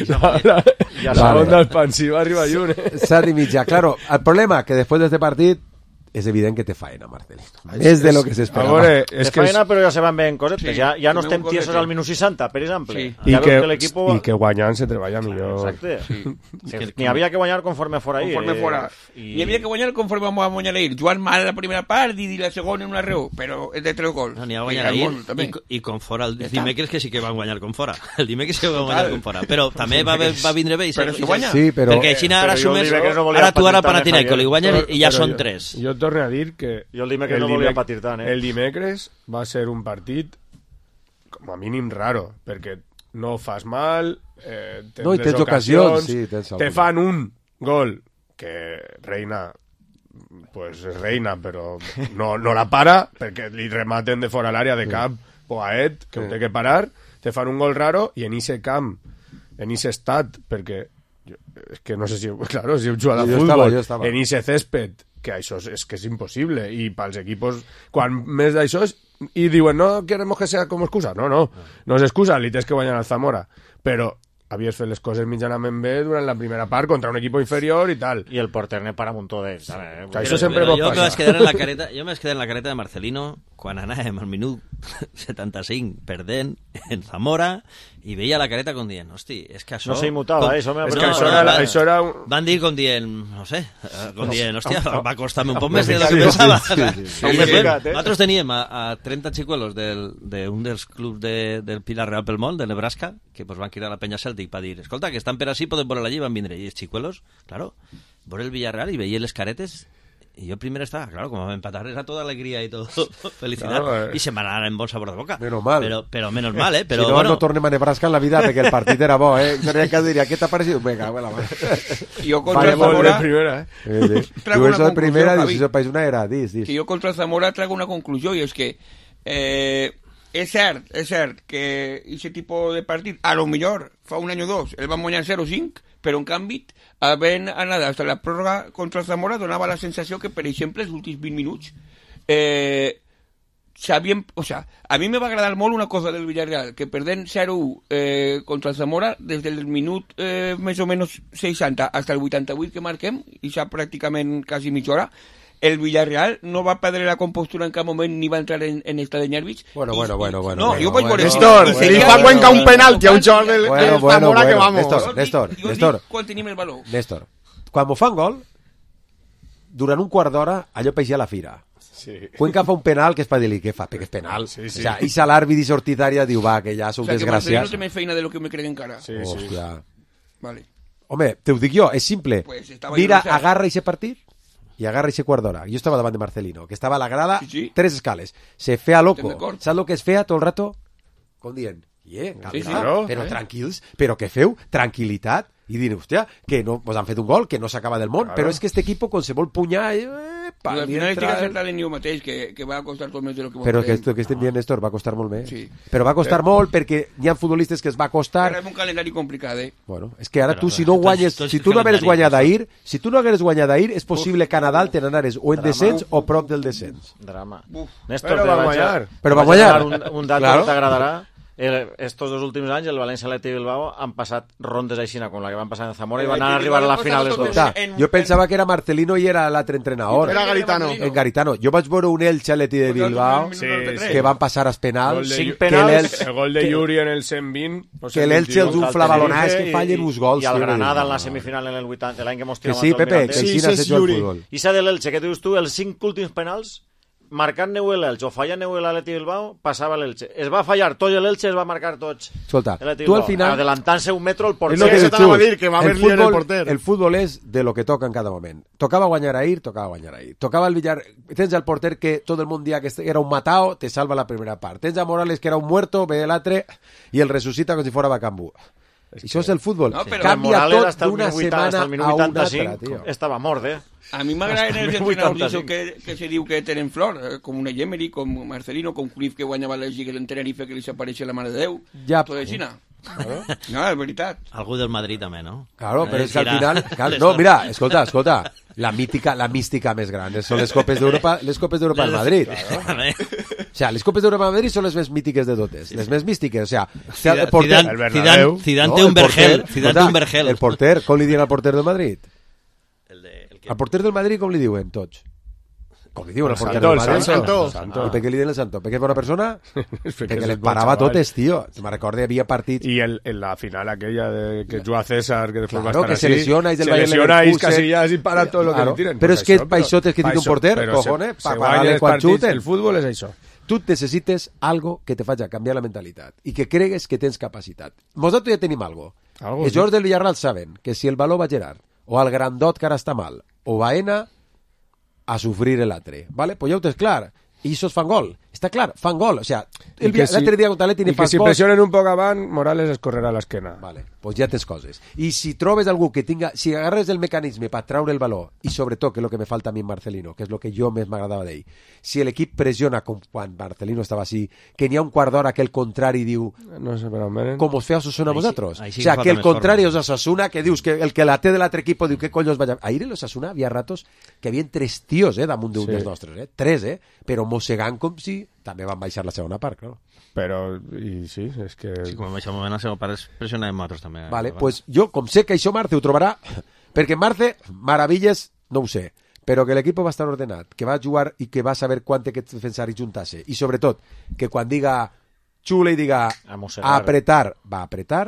Speaker 1: la, la,
Speaker 6: Ja
Speaker 1: la
Speaker 3: sabe.
Speaker 1: onda expansiva arriba lluny. Eh?
Speaker 3: Sadi mitja. Claro, el problema que después de este partit és evident que té faena, Marcelino. És de lo que s'esperava.
Speaker 1: Veure,
Speaker 6: És
Speaker 1: és que
Speaker 6: faena,
Speaker 1: és...
Speaker 6: però ja se van ben cosetes.
Speaker 5: Sí,
Speaker 6: ja, ja no
Speaker 5: també
Speaker 6: estem
Speaker 5: un
Speaker 6: tiesos
Speaker 5: cosete.
Speaker 6: al minut seixanta, per exemple.
Speaker 5: Sí.
Speaker 1: I
Speaker 6: Ja
Speaker 1: que,
Speaker 6: veus que l'equipo...
Speaker 1: i que guanyant se treballa millor.
Speaker 6: Exacte.
Speaker 5: Sí.
Speaker 6: Que N'hi havia que guanyar conforme fora ahir.
Speaker 5: Conforme
Speaker 6: eh,
Speaker 5: fora.
Speaker 6: I...
Speaker 5: Hi havia que guanyar conforme vam a guanyar ahir. Joan mal la primera part i la segona en una raó, però és de tres gols.
Speaker 7: No, n'hi ha
Speaker 5: I
Speaker 7: guanyar
Speaker 5: al
Speaker 7: ahir
Speaker 5: món, també.
Speaker 7: i, i con fora. El
Speaker 5: Ja està.
Speaker 7: dimecres que sí que van guanyar con fora. El dimecres sí que van
Speaker 5: Total.
Speaker 7: guanyar con fora. Però també va, va vindre bé i se,
Speaker 5: Però si
Speaker 7: i se-
Speaker 5: guanya.
Speaker 3: Sí, però...
Speaker 7: perquè així ara
Speaker 6: però jo el
Speaker 7: sumes...
Speaker 6: dimecres no volia
Speaker 7: Ara tu ara
Speaker 6: patir tant, eh,
Speaker 7: Panathinaikos li
Speaker 6: Javier.
Speaker 7: guanyes i ja
Speaker 1: Però
Speaker 7: són
Speaker 1: jo-
Speaker 7: tres.
Speaker 1: Jo torno a dir que
Speaker 6: Jo el dimecres no volia patir tant, eh?
Speaker 1: el dimecres va ser un partit com a mínim raro, perquè no fas mal, eh, tens
Speaker 3: No, i
Speaker 1: les
Speaker 3: tens ocasions, sí, tens
Speaker 1: te
Speaker 3: alguna.
Speaker 1: fan un gol que Reina pues és Reina, però no, no la para, perquè li rematen de fora l'àrea de cap Poaet, que ho té que parar, te fan un gol raro, i en ese camp, en ese estat, perquè jo, és que no sé si, claro, si heu jugat a
Speaker 3: Jo
Speaker 1: futbol,
Speaker 3: estava, jo estava.
Speaker 1: en ese césped, que això és, és que és impossible, i pels equipos, quan més d'això és, i diuen, no queremos que sea como excusa, no, no, no és excusa, li tens que guanyar al Zamora, però havies fet les coses mitjanament bé durant la primera part contra un equip inferior i tal.
Speaker 6: I el porter ne para un muntó d'ells. Eh?
Speaker 1: Que això sempre
Speaker 7: Però
Speaker 1: pot
Speaker 7: jo me
Speaker 1: passar.
Speaker 7: vaig quedar en la careta, jo me vaig quedar en la careta de Marcelino quan anàvem al minut setanta-cinc perdent en Zamora i veia la careta com dient, hosti, és que això...
Speaker 6: No s'immutava,
Speaker 7: com-
Speaker 6: eh? Això m'ha
Speaker 1: És que
Speaker 6: No,
Speaker 1: això,
Speaker 6: no,
Speaker 1: era,
Speaker 6: no,
Speaker 1: això era un...
Speaker 7: Van dir com dient, no sé, eh, com dient, hòstia, va costar-me un poc
Speaker 1: Home,
Speaker 7: més de lo
Speaker 1: sí,
Speaker 7: que
Speaker 1: sí,
Speaker 7: pensava.
Speaker 1: sí, sí, sí.
Speaker 7: I
Speaker 6: Home,
Speaker 7: després,
Speaker 6: ficat, eh?
Speaker 7: nosaltres teníem a, a trenta xicuelos del, d'un dels clubs de, del Pilar Real pel Món, de Nebraska, que pues, van cridar a la penya Celtic per dir, escolta, que estan per així, poden veure allí, van vindre. I els xicuelos, claro, veure el Villarreal i veia les caretes. Y yo primero estaba, claro, como me empatar era toda alegría y todo felicidad,
Speaker 1: Claro, eh.
Speaker 7: y se me van a dar en bon sabor de boca.
Speaker 3: Menos mal.
Speaker 7: Pero, pero menos mal, ¿eh? Pero
Speaker 3: si no,
Speaker 7: bueno,
Speaker 3: no tornem a Nebraska en la vida perquè el partit era bo, eh? Seria que diria, què t'ha parecido? Venga, bueno,
Speaker 5: Yo contra
Speaker 3: Vale,
Speaker 5: el
Speaker 1: Gol de
Speaker 5: Zamora,
Speaker 1: primera, eh?
Speaker 3: eh, eh.
Speaker 5: Traigo
Speaker 3: Diu
Speaker 5: una
Speaker 3: eso de primera,
Speaker 5: conclusión,
Speaker 3: dius, eso país una era, dis, dis.
Speaker 5: que yo contra el Zamora traigo una conclusió, i és que eh, és cert, és cert que aquest tipus de partit, a lo millor fa un any o dos, el van guanyar zero cinc, però en canvi, havent anat fins a la pròrroga contra el Zamora, donava la sensació que, per exemple, els últims vint minuts eh, sabíem, o sea, a mi me va agradar molt una cosa del Villarreal, que perdent zero u eh, contra el Zamora, des del minut eh, més o menys seixanta fins al vuitanta-vuit que marquem, i ja pràcticament quasi mitja hora, el Villarreal no va perdre la compostura en cap moment ni va entrar en, en estat de nervis.
Speaker 3: Bueno,
Speaker 5: I-
Speaker 3: bueno,
Speaker 5: i-
Speaker 3: bueno, bueno,
Speaker 5: No,
Speaker 3: bueno,
Speaker 5: jo vaig
Speaker 3: bueno.
Speaker 5: veure...
Speaker 4: Néstor,
Speaker 5: i
Speaker 4: li
Speaker 5: seguia-
Speaker 4: fa cuenca un
Speaker 5: i-
Speaker 4: penalti a un jugador del,
Speaker 3: Bueno,
Speaker 4: del
Speaker 3: bueno,
Speaker 4: Zamora que
Speaker 3: bueno.
Speaker 4: vamos.
Speaker 3: Néstor,
Speaker 5: Jo dic-
Speaker 3: Néstor,
Speaker 5: jo dic
Speaker 3: Néstor.
Speaker 5: quan tenim el valor.
Speaker 3: Néstor, quan m'ho fan gol, durant un quart d'hora, allò peixia la fira.
Speaker 1: Sí.
Speaker 3: Cuenca fa un penal que és per dir-li, què fa? Perquè és penal.
Speaker 1: Sí, sí.
Speaker 3: O sea, i sa l'àrbit i sortitària diu, va, que ja sou
Speaker 5: O sea, que Marcelino
Speaker 3: desgraciats.
Speaker 5: té més feina de lo que me crec encara.
Speaker 1: Sí, sí.
Speaker 3: Hòstia.
Speaker 5: Vale.
Speaker 3: Home, te ho dic jo, és simple.
Speaker 5: Pues estava
Speaker 3: Mira,
Speaker 5: jo no sé.
Speaker 3: agarra ese partit i agarra ese quart d'hora. Jo estava davant de Marcelino, que estava a la grada,
Speaker 5: Sí, sí.
Speaker 3: tres escales. Se fea loco.
Speaker 5: Estem d'acord.
Speaker 3: Saps el que es feia tot el rato? Com dient, yeah,
Speaker 5: Sí, sí.
Speaker 3: però,
Speaker 1: Claro, eh?
Speaker 3: tranquils, però què feu? Tranquilitat. I dir, hòstia, que no, pues han fet un gol, que no s'acaba del món,
Speaker 1: Claro.
Speaker 3: però és que este equipo, quan se vol punyar, eh, pa,
Speaker 5: I al
Speaker 3: li
Speaker 5: final estic
Speaker 3: entra-
Speaker 5: acertant en jo mateix, que, que va costar tot més de lo que
Speaker 3: Però que
Speaker 5: creiem.
Speaker 3: esto que estem dient, Néstor, va costar molt més.
Speaker 5: Sí.
Speaker 3: Però va costar molt perquè hi ha futbolistes que es va costar.
Speaker 5: Ara és un calendari complicat, eh?
Speaker 3: Bueno, és que ara
Speaker 7: Però,
Speaker 3: tu, si
Speaker 7: però,
Speaker 3: no
Speaker 7: tots-
Speaker 3: guanyes,
Speaker 7: tots
Speaker 3: si
Speaker 7: els
Speaker 3: tu no hagueres
Speaker 7: calendaris,
Speaker 3: guanyat
Speaker 7: Néstor.
Speaker 3: ahir, si tu no hagueres guanyat ahir, és possible que a Nadal te n'anares o en descens o prop del descens.
Speaker 6: Drama.
Speaker 5: Uf.
Speaker 6: Néstor,
Speaker 1: Però
Speaker 6: te
Speaker 1: va
Speaker 6: vaig a-
Speaker 1: guanyar.
Speaker 3: Però va
Speaker 6: te vaig a
Speaker 3: guanyar.
Speaker 6: donar Un, un dato
Speaker 3: Claro.
Speaker 6: que t'agradarà. El, estos dos últims anys el València Atleti Bilbao han passat rondes aixina com la que van passar en Zamora i van anar a arribar a la final els dos.
Speaker 3: Escolta,
Speaker 5: en-
Speaker 3: jo pensava que era Marcelino i era l'altre entrenador.
Speaker 4: Era Garitano.
Speaker 3: En Garitano. Jo vaig veure un Elche Atleti de Bilbao
Speaker 1: Sí,
Speaker 3: que van passar als penals.
Speaker 1: Gol de
Speaker 3: que
Speaker 1: Yu-
Speaker 6: penals.
Speaker 3: l'Elche-
Speaker 1: El gol de Yuri en el cent vint. o
Speaker 3: que l'Elche els
Speaker 1: cent vint-i-u.
Speaker 3: un flabalonàs que fallen uns gols.
Speaker 6: I al
Speaker 3: tio,
Speaker 6: Granada
Speaker 3: dius,
Speaker 6: en la
Speaker 3: no.
Speaker 6: semifinal en el vuitanta, l'any que mos
Speaker 3: Que
Speaker 6: tiràvem
Speaker 3: sí,
Speaker 6: al
Speaker 3: Pepe, que
Speaker 6: Mirandés.
Speaker 4: Sí,
Speaker 3: així
Speaker 4: sí,
Speaker 3: no
Speaker 4: és
Speaker 3: se juga al
Speaker 4: Yuri.
Speaker 3: futbol.
Speaker 6: I s'ha de l'Elche, que dius tu, els cinc últims penals, marcant-ne l'Elche o fallant-ne l'Atleti Bilbao, passava l'Elche. Es va fallar tot l'Elche, es va marcar tots.
Speaker 3: Escolta,
Speaker 6: l'Atleti
Speaker 3: tu al
Speaker 6: Bilbao,
Speaker 3: final...
Speaker 6: adelantant-se un metro el
Speaker 3: És
Speaker 6: porter.
Speaker 3: lo que
Speaker 4: eso
Speaker 3: dius
Speaker 4: te anava
Speaker 3: tu.
Speaker 4: a dir, que va haver
Speaker 3: el
Speaker 4: lío en el
Speaker 3: fútbol,
Speaker 4: porter.
Speaker 3: el fútbol és de lo que toca en cada moment. Tocava guanyar ahir, tocava guanyar ahir. Tocava el Villar... Tens el porter que tot el món dia que era un matao, te salva la primera part. Tens a Morales que era un muerto, ve l'altre i el resucita com si fora Bacambú. Això és el futbol.
Speaker 5: No, però-
Speaker 3: Canvia
Speaker 6: Morales
Speaker 3: tot
Speaker 6: hasta el
Speaker 3: d'una
Speaker 6: minut vuitanta, hasta
Speaker 3: setmana
Speaker 6: el minut
Speaker 3: a una
Speaker 6: vuitanta-cinc,
Speaker 3: altra, tio.
Speaker 6: estava mort, eh?
Speaker 5: A mi m'agraden els
Speaker 6: Hasta
Speaker 5: entrenadors
Speaker 6: vuitanta-cinc.
Speaker 5: que, que se diu que tenen flor, eh, com una Emery, com Marcelino, com Cruyff, que guanyava les lligues en Tenerife, que li s'apareixia la mare de Déu.
Speaker 3: Ja.
Speaker 5: Tot així, no? No, és veritat.
Speaker 7: algú del Madrid també, no?
Speaker 3: Claro, però
Speaker 7: Eh,
Speaker 3: és que al
Speaker 7: tirar-
Speaker 3: final... Claro, no, mira, escolta, escolta. La mítica, la mística més gran són les Copes d'Europa, les Copes d'Europa al Madrid. O sea, les Copes d'Europa al Madrid són les més mítiques de totes, les més místiques, o sea,
Speaker 7: Zidane,
Speaker 3: el porter,
Speaker 7: Zidane,
Speaker 1: El Bernabéu.
Speaker 7: Zidane, Zidane
Speaker 3: no,
Speaker 7: té
Speaker 3: el
Speaker 7: un vergel,
Speaker 3: porter,
Speaker 7: Zidane té
Speaker 3: escolta,
Speaker 7: un vergel.
Speaker 3: El porter, com li diuen al porter del Madrid?
Speaker 7: El de, el que...
Speaker 3: Al porter del Madrid com li diuen tots? Com li diuen el porter
Speaker 1: Santo,
Speaker 3: del
Speaker 1: el
Speaker 3: Madrid?
Speaker 1: Santo.
Speaker 4: Santo.
Speaker 3: I per què li diuen el Santo? Perquè és bona persona? Perquè
Speaker 1: és
Speaker 3: les
Speaker 1: bon
Speaker 3: parava
Speaker 1: chaval.
Speaker 3: totes, tio. Me recordo, hi havia partits...
Speaker 1: Y el, en la final aquella de que juga César, que después
Speaker 3: Claro,
Speaker 1: va a estar
Speaker 3: que
Speaker 1: así,
Speaker 3: se lesiona, y del
Speaker 1: se
Speaker 3: Bayern
Speaker 1: lesiona y
Speaker 3: Leverkusen.
Speaker 1: Casillas y para todo lo que
Speaker 3: Claro.
Speaker 1: le tiren.
Speaker 3: Pero
Speaker 1: Pues
Speaker 3: es que
Speaker 1: això,
Speaker 3: pa això tens que tindre un
Speaker 1: pa
Speaker 3: porter,
Speaker 1: això, però
Speaker 3: cojones,
Speaker 1: se-
Speaker 3: pa
Speaker 1: se
Speaker 3: parar-li
Speaker 1: guanya els
Speaker 3: quan
Speaker 1: partits,
Speaker 3: xuten.
Speaker 1: El fútbol és això.
Speaker 3: Tu necessites algo que te faci canviar la mentalitat i que cregues que tens capacitat. Nosaltres ja tenim algo.
Speaker 1: Algo,
Speaker 3: Els
Speaker 1: sí.
Speaker 3: jugadors del Villarreal saben que si el valor va a Gerard o al grandot que ara està mal o Baena, a sufrir l'altre. ¿Vale? Pues ja ho tens clar. I això fan gol. Està clar, fan gol. O sea, el
Speaker 1: I que si-
Speaker 3: l'altre dia contra l'Atleti
Speaker 1: I
Speaker 3: ni
Speaker 1: que
Speaker 3: fas
Speaker 1: si
Speaker 3: gols.
Speaker 1: pressionen un poc avant, Morales es correrà a l'esquena.
Speaker 3: Vale, pues ja tens coses. I si trobes algú que tinga... Si agarres el mecanisme per traure el valor, i sobretot, que és el que me falta a mi en Marcelino, que és el que jo més m'agradava d'ell, si l'equip pressiona com quan Marcelino estava així, que n'hi ha un quart d'hora que el contrari diu
Speaker 1: No sé, però almenys...
Speaker 3: com us feu a Osasuna
Speaker 7: Ahí sí-
Speaker 3: vosaltres.
Speaker 7: ahí sí
Speaker 3: o sea,
Speaker 7: que
Speaker 3: que el
Speaker 7: falta més
Speaker 3: contrari
Speaker 7: forma.
Speaker 3: és Osasuna, que dius que el que la té de l'altre equip diu què collons vaig a... Ahir en l'Osasuna havia ratos que havien tres tios, eh, damunt d'un
Speaker 1: Sí.
Speaker 3: dels nostres, eh? Tres, eh? Però mossegant com si també van baixar la segona part, clar.
Speaker 1: Però, i sí, és que...
Speaker 7: Sí, com en aquest moment el seu pare es pressionàvem nosaltres també. eh?
Speaker 3: Vale, pues jo, com sé que això Marce ho trobarà, perquè Marce, maravilles, no ho sé, però que l'equip va estar ordenat, que va jugar i que va saber quan té que defensar i juntar-se, i sobretot, que quan diga xule i diga
Speaker 6: A mossegar.
Speaker 3: apretar, va apretar,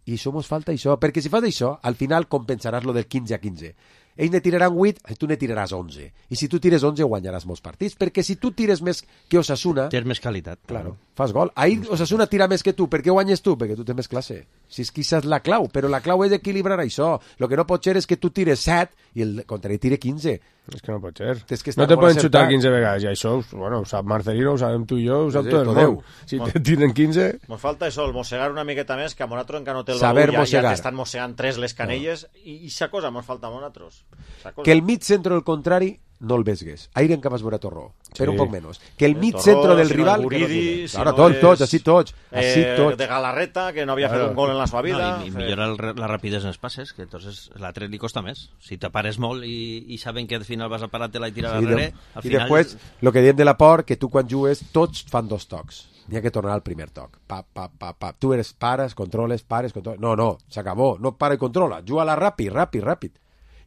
Speaker 3: i això mos falta això, perquè si fas això, al final compensaràs lo del quinze a quinze. Ells ne tiraran vuit, tu ne tiraràs onze. I si tu tires onze, guanyaràs molts partits, perquè si tu tires més que Osasuna,
Speaker 7: Tens més qualitat.
Speaker 3: claro, fas gol. Ahir Osasuna tira més que tu. Per què guanyes tu? Perquè tu tens més classe. Si és que això és la clau, però la clau és equilibrar això. Lo que no pot ser és que tu tires set i el contrari tire quinze.
Speaker 1: És que no pot ser.
Speaker 3: És que està
Speaker 1: no te
Speaker 3: molt
Speaker 1: poden
Speaker 3: acertat.
Speaker 1: xutar quinze vegades, i això, bueno, ho sap Marcelino, ho sabem tu i jo, ho sap
Speaker 3: Sí,
Speaker 1: tot el
Speaker 3: tot
Speaker 1: món.
Speaker 3: Déu.
Speaker 1: Si te tiren quinze...
Speaker 6: Mos falta això, el mossegar una miqueta més, que a nosaltres encara no té el
Speaker 3: Saber
Speaker 6: valor, ja,
Speaker 3: mossegar.
Speaker 6: ja t'estan mossegant tres les canelles, no. i aquesta cosa mos falta a nosaltres. Sa cosa.
Speaker 3: Que el mig centro del contrari no el vesgues. Ahir en que vas veure Torró, però
Speaker 1: Sí.
Speaker 3: un poc menys. Que el
Speaker 6: Eh,
Speaker 3: mig
Speaker 6: Torró,
Speaker 3: centro del
Speaker 6: si no
Speaker 3: rival...
Speaker 6: el
Speaker 3: que no
Speaker 6: Guridi,
Speaker 3: jugue.
Speaker 6: si
Speaker 3: Claro,
Speaker 6: no
Speaker 3: tots,
Speaker 6: és,
Speaker 3: tots, així tots. Així
Speaker 6: Eh,
Speaker 3: tots.
Speaker 6: de Galarreta, que no havia
Speaker 1: Claro.
Speaker 6: fet un gol en la seva vida.
Speaker 7: No, i, i millora el, la rapidesa en els passes, que entonces l'altre li costa més. Si te pares molt i, i saben que al final vas a parar-te-la i tirar
Speaker 3: Sí,
Speaker 7: darrere,
Speaker 3: de-
Speaker 7: al
Speaker 3: I
Speaker 7: final...
Speaker 3: després, el que diem de la por, que tu quan jugues, tots fan dos tocs. N'hi ha que tornar al primer toc. Pa, pa, pa, pa. Tu eres pares, controles, pares, controles... No, no, s'acabó. No para i controla. Juga-la ràpid, ràpid, ràpid.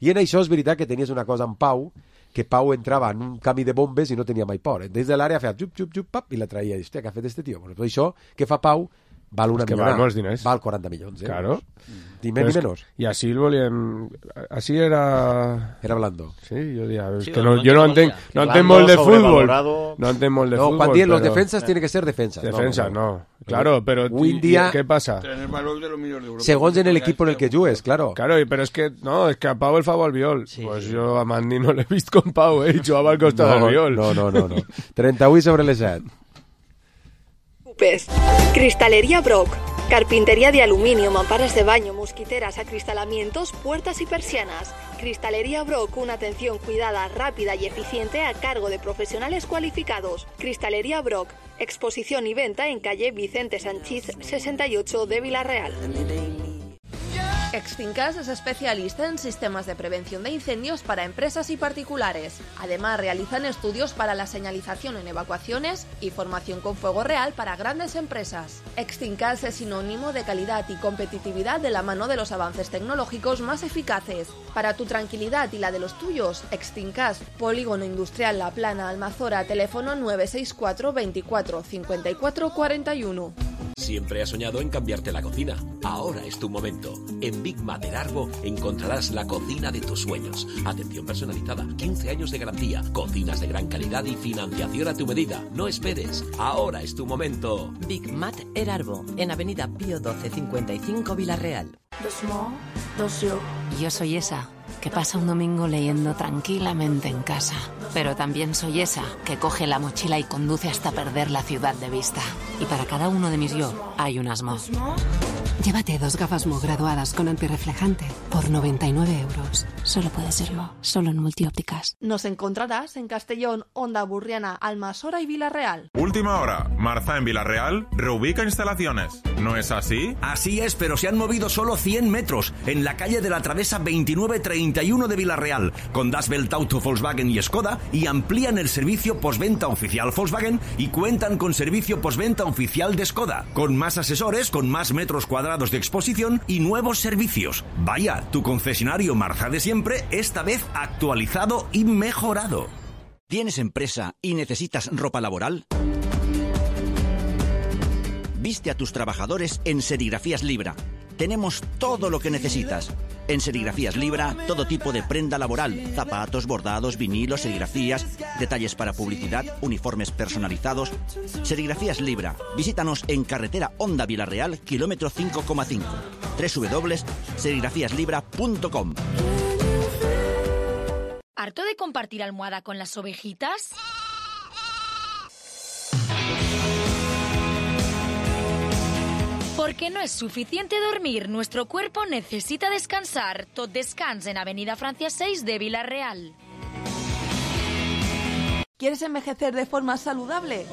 Speaker 3: I en això és veritat que tenies una cosa en Pau, que Pau entrava en un camí de bombes i no tenia mai por. Des de l'àrea feia xup, xup, xup, pap, i la traia. I, hòstia, què ha fet este tio? Pues això que fa Pau val una
Speaker 1: És que
Speaker 3: millonada.
Speaker 1: val molts diners.
Speaker 3: Val quaranta milions, eh?
Speaker 1: Claro.
Speaker 3: Ni més
Speaker 1: Però
Speaker 3: ni
Speaker 1: és que-
Speaker 3: menys.
Speaker 1: I així el volíem... Així era...
Speaker 3: Era blando.
Speaker 1: Sí, jo diria... És
Speaker 7: Sí,
Speaker 1: que
Speaker 7: el
Speaker 1: no,
Speaker 7: moment
Speaker 1: jo no
Speaker 7: que
Speaker 1: entenc,
Speaker 7: volia.
Speaker 1: no entenc
Speaker 6: Blando,
Speaker 1: molt de fútbol.
Speaker 6: sobrevalorado.
Speaker 1: No entenc molt de
Speaker 3: No,
Speaker 1: fútbol,
Speaker 3: quan diem los
Speaker 1: però-
Speaker 3: defensas tiene que ser defensas.
Speaker 1: Defensa,
Speaker 3: no.
Speaker 1: no. Claro, pero...
Speaker 3: Avui en
Speaker 1: ¿y-
Speaker 3: dia-
Speaker 1: ¿Qué pasa?
Speaker 5: Tener valor de los millors d'Europa.
Speaker 3: Segons en el equipo en el que jugues, claro.
Speaker 1: Claro, y- pero es que, no, es que a Pau el fa al viol.
Speaker 7: Sí,
Speaker 1: pues
Speaker 7: sí.
Speaker 1: yo a Mandy no l'he vist con Pau, eh? Y jugava al costat del
Speaker 3: No,
Speaker 1: viol.
Speaker 3: no, no, no, no. trenta-vuit sobre les set.
Speaker 9: Pes. Cristalería Brock. Carpintería de aluminio, mamparas de baño, mosquiteras, acristalamientos, puertas y persianas. Cristalería Brock, una atención cuidada, rápida y eficiente a cargo de profesionales cualificados. Cristalería Brock, exposición y venta en calle Vicente Sanchís sesenta y ocho de Villarreal. Extincas es especialista en sistemas de prevención de incendios para empresas y particulares. Además, realizan estudios para la señalización en evacuaciones y formación con fuego real para grandes empresas. Extincas es sinónimo de calidad y competitividad de la mano de los avances tecnológicos más eficaces. Para tu tranquilidad y la de los tuyos, Extincas, Polígono Industrial La Plana, Almazora, teléfono nueve seis cuatro veinticuatro cincuenta y cuatro cuarenta y uno.
Speaker 10: Siempre has soñado en cambiarte la cocina. Ahora es tu momento. En Big Mater Arbo encontrarás la cocina de tus sueños. Atención personalizada, quince años de garantía, cocinas de gran calidad y financiación a tu medida. No esperes. Ahora es tu momento.
Speaker 11: Big Mat Erarbo, en Avenida Pío doce cincuenta y cinco Villarreal.
Speaker 12: Yo soy esa que pasa un domingo leyendo tranquilamente en casa. Pero también soy esa que coge la mochila y conduce hasta perder la ciudad de vista. Y para cada uno de mis yo hay un Asmo. Llévate dos gafas Mo graduadas con antirreflejante por noventa y nueve euros. Solo puede ser Mo, solo en Multiópticas.
Speaker 9: Nos encontrarás en Castellón, Onda Burriana, Almasora y Villarreal.
Speaker 13: Última hora. Marza en Villarreal reubica instalaciones. ¿No es así?
Speaker 14: Así es, pero se han movido solo cien metros en la calle de la Travesa veintinueve treinta y uno de Villarreal, con Das Welt Auto, Volkswagen y Skoda, y amplían el servicio postventa oficial Volkswagen y cuentan con servicio postventa oficial de Skoda, con más asesores, con más metros cuadrados de exposición y nuevos servicios. Vaya, tu concesionario Marza de siempre, esta vez actualizado y mejorado. ¿Tienes empresa y necesitas ropa laboral? Viste a tus trabajadores en Serigrafías Libra. Tenemos todo lo que necesitas. En Serigrafías Libra, todo tipo de prenda laboral, zapatos, bordados, vinilos, serigrafías, detalles para publicidad, uniformes personalizados. Serigrafías Libra. Visítanos en carretera Honda Vilarreal, kilómetro cinco coma cinco. doble u doble u doble u punto serigrafías libra punto com.
Speaker 15: ¿Harto de compartir almohada con las ovejitas? Porque no es suficiente dormir, nuestro cuerpo necesita descansar. Tot Descans en Avenida Francia seis de Vilarreal.
Speaker 9: ¿Quieres envejecer de forma saludable?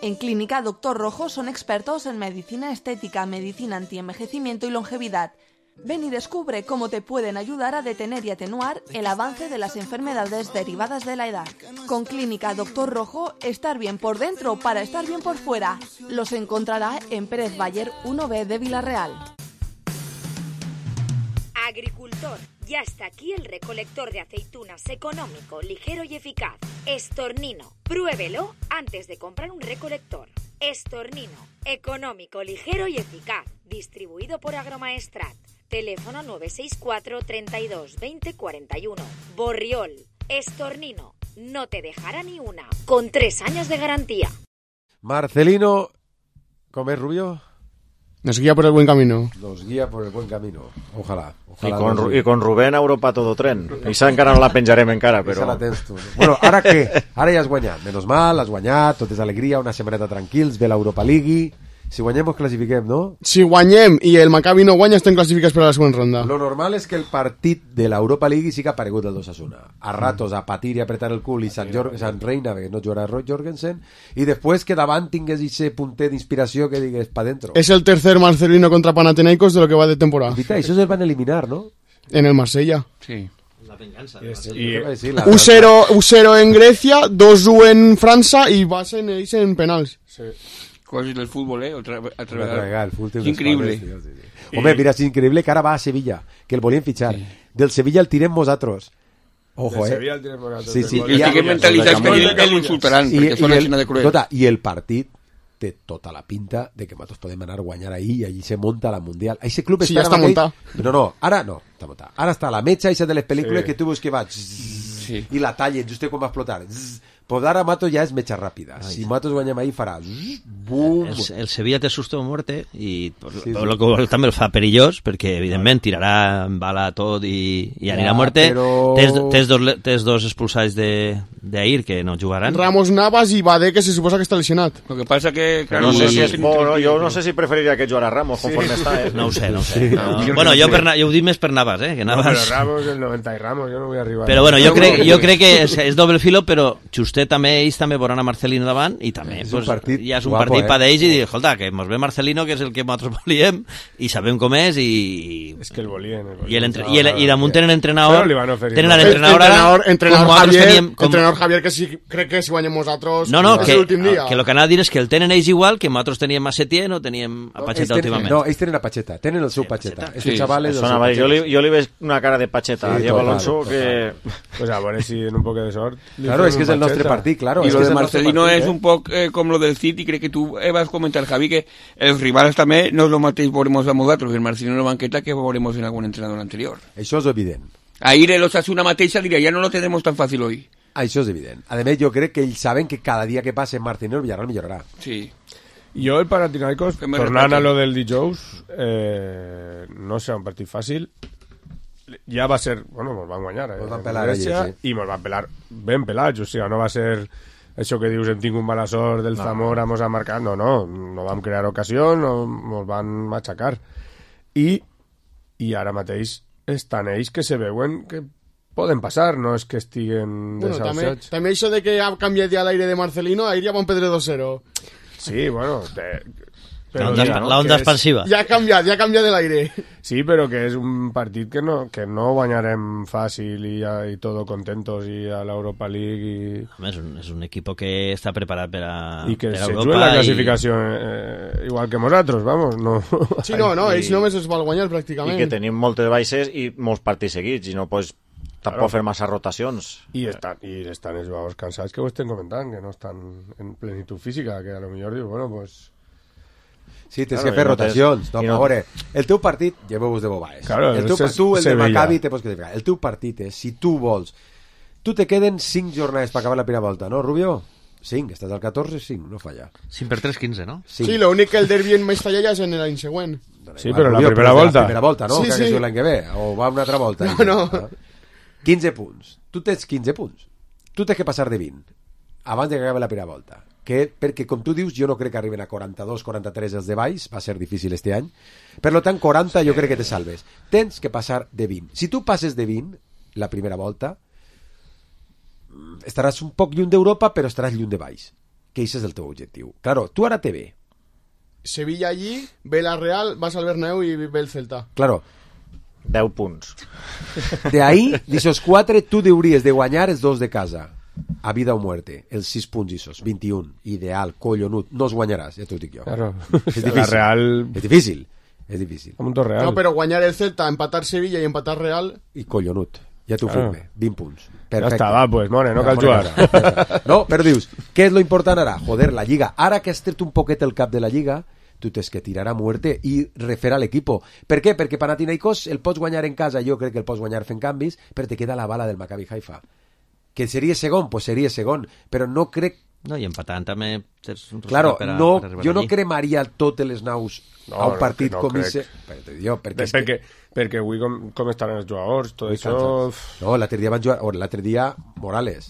Speaker 9: En Clínica Doctor Rojo son expertos en medicina estética, medicina antienvejecimiento y longevidad. Ven y descubre cómo te pueden ayudar a detener y atenuar el avance de las enfermedades derivadas de la edad. Con Clínica Doctor Rojo, estar bien por dentro para estar bien por fuera. Los encontrará en Pérez Bayer uno B de Vilarreal.
Speaker 16: Agricultor, ya está aquí el recolector de aceitunas económico, ligero y eficaz. Estornino, pruébelo antes de comprar un recolector. Estornino, económico, ligero y eficaz. Distribuido por Agromaestrat. Teléfono nueve seis cuatro, treinta y dos, veinte, cuarenta y uno. Borriol, Estornino, no te dejará ni una. Con tres años de garantía.
Speaker 3: Marcelino, ¿cómo es, Rubio?
Speaker 4: Nos guía por el buen camino.
Speaker 3: Nos guía por el buen camino. Ojalá. ojalá
Speaker 6: I, con, Ru I con Rubén a Europa todo tren. Això encara no la penjarem encara, però...
Speaker 3: La tens tu. Bueno, ara què? Ara ja has guanyat. Menos mal, has guanyat, tot és alegria, una setmaneta tranquils, ve l'Europa League. Si guanyem, ens classifiquem, no?
Speaker 4: Si guanyem i el Maccabi no guanya, estem classificats per a la següent ronda.
Speaker 3: Lo normal és que el partit de l'Europa League sí que ha aparegut el d'Osasuna. A ratos a patir i apretar el cul i Sant, Jor Sant Reina, que no jugarà Roy Jorgensen, i després que davant tingués ese punter d'inspiració que digués pa dentro.
Speaker 4: És el tercer Marcelino contra Panathinaikos de lo que va de temporada.
Speaker 3: Vita, això es van eliminar, ¿no?
Speaker 4: En el Marsella.
Speaker 5: Sí.
Speaker 7: La venganza.
Speaker 3: Y...
Speaker 4: u cero en Grecia, dos u en França i va ser en penals.
Speaker 5: Sí. Cosas del fútbol, ¿eh? Otra, otra, otra
Speaker 3: vegada. El fútbol
Speaker 5: es increíble.
Speaker 3: Padres, sí, sí. Home, mira, és increïble que ara va a Sevilla, que el volien fitxar. Sí. Del Sevilla el tirem nosaltres. Ojo,
Speaker 1: Del
Speaker 3: eh?
Speaker 1: Sevilla el tirem nosaltres.
Speaker 3: Sí, sí.
Speaker 5: I el que mentalitzat que el insultaran, perquè són la Xina de cruel.
Speaker 3: Tota, I el partit té tota la pinta de que nosaltres podem anar a guanyar ahí, i allí se monta la Mundial. Ese club
Speaker 4: sí,
Speaker 3: està,
Speaker 4: ja està muntat.
Speaker 3: No, no, ara no, està muntat. Ara està la metxa eixa de les pel·lícules sí. que tu veus que va
Speaker 5: sí.
Speaker 3: i la tallen just quan va explotar. Pues ara Mato ja és metxa ràpida. Si Matos guanyem ahí farà bum.
Speaker 7: El, el Sevilla té susto de muerte i
Speaker 3: sí, sí.
Speaker 7: el que també el fa perillós perquè evidentment tirarà bala a tot i, i anirà ja, a muerte. Però... Tens, tens, dos, tens dos expulsats d'ahir que no jugaran.
Speaker 4: Ramos Navas i Badé, que se suposa que està lesionat.
Speaker 5: Lo que passa que...
Speaker 6: Claro, no sé si és bo, no? Jo no sé si preferiria que jugara Ramos sí. conforme està, eh?
Speaker 7: No ho sé, no ho sé. Sí. No. No. Bueno, jo, per, jo ho dic més per Navas, eh? Que Navas...
Speaker 1: No, però Ramos, el noventa i Ramos, jo no vull arribar.
Speaker 7: Però bueno, jo crec, jo crec que és, és doble filo, però Justet també, ells també veuran a Marcelino davant i també és pues, partit ja és un guapo, partit eh? per ells i dir, escolta, que mos ve Marcelino, que és el que nosaltres volíem i sabem com és i...
Speaker 1: És que el volien. El volien.
Speaker 7: I, el entre... I, el, i damunt tenen entrenador...
Speaker 1: Tenen
Speaker 7: l'entrenador
Speaker 4: ara... Entrenador Javier,
Speaker 7: teníem, com...
Speaker 4: entrenador Javier, que sí, crec que si guanyem nosaltres
Speaker 7: no, no,
Speaker 4: és
Speaker 7: que,
Speaker 4: l'últim dia.
Speaker 7: Que el que anava a dir és que el tenen ells igual que nosaltres teníem a Setién o teníem a Pacheta no, últimament.
Speaker 3: No, ells tenen a Pacheta, tenen el seu sí, Pacheta.
Speaker 7: Pacheta.
Speaker 3: Este
Speaker 7: sí,
Speaker 3: chaval és
Speaker 6: el jo, li, jo li veig una cara de Pacheta sí, a Diego Alonso
Speaker 3: total,
Speaker 6: que...
Speaker 1: Total. Pues a veure si en un poc de sort...
Speaker 3: Claro, és que és el nostre partit, claro.
Speaker 5: Y lo de
Speaker 3: partit,
Speaker 5: Marcelino
Speaker 3: eh?
Speaker 5: es un poco eh, como lo del City, creo que tú eh, vas a comentar, Javi, que els rivals també no es lo mateix veuremos a nosaltres, el Marcelino en la banqueta que veuremos en algún entrenador anterior.
Speaker 3: Això és evident.
Speaker 5: Ahir el Osasuna mateixa diria, ja no lo tenemos tan fácil hoy.
Speaker 3: Això és evident. A més, jo crec que ells saben que cada dia que passe Marcelino el Villarreal millorarà.
Speaker 5: Sí.
Speaker 1: Jo el Panathinaikos, tornant a lo del dijous, eh, no serà un partit fàcil. Ja va ser, bueno, mos van guanyar, eh?
Speaker 3: Mos van pelar allí, sí.
Speaker 1: I mos van pelar ben pelats, o sigui, no va ser això que dius, hem tingut mala sort del no. Zamora, mos ha marcat, no, no, no vam crear ocasió, no, mos van matxacar. I, i ara mateix estan ells que se veuen que poden passar, no és que estiguen
Speaker 4: bueno,
Speaker 1: desahuciats.
Speaker 4: També, també això de que ha canviat ja l'aire de Marcelino, ahir ja van perdre dos cero.
Speaker 1: Sí, bueno... De...
Speaker 7: Però la onda, no? la onda expansiva.
Speaker 4: Ja ha canviat, ja ha canviat l'aire.
Speaker 1: Sí, però que és un partit que no, que no guanyarem fàcil i, i todo contentos i a l'Europa League i...
Speaker 7: Home, és un, és un equipo que està preparat per a
Speaker 1: i que
Speaker 7: per a
Speaker 1: se
Speaker 7: Europa
Speaker 1: juga la classificació
Speaker 7: i...
Speaker 1: eh, igual que nosaltres, vamos. No.
Speaker 4: Sí, no, no, ells I... només es van guanyar pràcticament.
Speaker 6: I que tenim moltes baixes i molts partits seguits i no pots tampoc fer massa rotacions.
Speaker 1: I estan, i estan els jugadors cansats que ho estem comentant, que no estan en plenitud física, que a lo millor diu, bueno, pues...
Speaker 3: Sí, tens
Speaker 6: Claro,
Speaker 3: que fer
Speaker 6: i no
Speaker 3: rotacions.
Speaker 6: tens-
Speaker 3: No,
Speaker 6: i
Speaker 3: però
Speaker 6: no-
Speaker 3: a veure, el teu partit, lleveu-vos de bobaes.
Speaker 1: Claro,
Speaker 3: el teu,
Speaker 1: és-
Speaker 3: tu, el de
Speaker 1: Sevilla.
Speaker 3: Maccabi, te pots classificar. El teu partit és, si tu vols... Tu te queden cinc jornades per acabar la primera volta, no, Rubio? cinc, estàs al catorze, cinc, no falla.
Speaker 7: cinc per tres, quinze, no?
Speaker 3: cinc.
Speaker 4: Sí, l'únic que el derbi en Mestalla ja és en l'any següent.
Speaker 1: Sí, però la
Speaker 3: Rubio,
Speaker 1: primera
Speaker 3: és de
Speaker 1: volta.
Speaker 3: La primera volta, no?
Speaker 4: Sí,
Speaker 3: que
Speaker 4: sí.
Speaker 3: és l'any que ve, o va una altra volta.
Speaker 4: No, no.
Speaker 3: quinze punts. Tu tens quinze punts. Tu tens que passar de vint abans de que acabi la primera volta. Que, perquè, com tu dius, jo no crec que arriben a quaranta-dos quaranta-tres els de baix, va ser difícil este any. Per lo tant, quaranta jo crec que te salves. Tens que passar de vint. Si tu passes de vint, la primera volta, estaràs un poc lluny d'Europa, però estaràs lluny de baix. Que això és el teu objectiu. Claro, tu ara te ve.
Speaker 4: Sevilla allí, ve la Real, vas al Bernabéu i ve el Celta.
Speaker 3: Claro,
Speaker 6: deu punts.
Speaker 3: de ahí, d'aixòs quatre, tu hauries de guanyar els dos de casa. A vida o muerte, els sis punts isos, vint-i-un, ideal, collonut, no els guanyaràs, ja t'ho dic jo.
Speaker 1: Claro.
Speaker 3: És
Speaker 1: La
Speaker 3: difícil.
Speaker 1: Real-
Speaker 3: És difícil. És difícil.
Speaker 1: Un punto real.
Speaker 4: No, però guanyar el Celta, empatar Sevilla i empatar Real...
Speaker 3: I collonut. Ja t'ho
Speaker 1: Claro.
Speaker 3: firme. vint punts.
Speaker 1: Ja està, va, pues, more, no
Speaker 3: Ja,
Speaker 1: cal
Speaker 3: more
Speaker 1: jugar.
Speaker 3: casa. No, però dius, què és lo important ara? Joder, la Lliga. Ara que has tret un poquet el cap de la Lliga, tu tens que tirar a muerte i refer a l'equipo. Per què? Perquè Panathinaikos el pots guanyar en casa, jo crec que el pots guanyar fent canvis, però te queda la bala del Maccabi Haifa. Que seria segon, pues seria segon, però no crec...
Speaker 7: No, i empatant també tens un resultat
Speaker 3: Claro,
Speaker 7: per a,
Speaker 3: no,
Speaker 7: per arribar
Speaker 3: jo no
Speaker 7: allí.
Speaker 3: cremaria totes les naus
Speaker 1: No,
Speaker 3: a un
Speaker 1: no,
Speaker 3: partit
Speaker 1: que no
Speaker 3: com
Speaker 1: crec.
Speaker 3: ese. Però te dic jo, perquè, és
Speaker 1: perquè,
Speaker 3: que-
Speaker 1: perquè avui com, com estaran els jugadors, tot
Speaker 3: Muy
Speaker 1: això...
Speaker 3: cansats. No, l'altre dia van jugar, o l'altre dia Morales,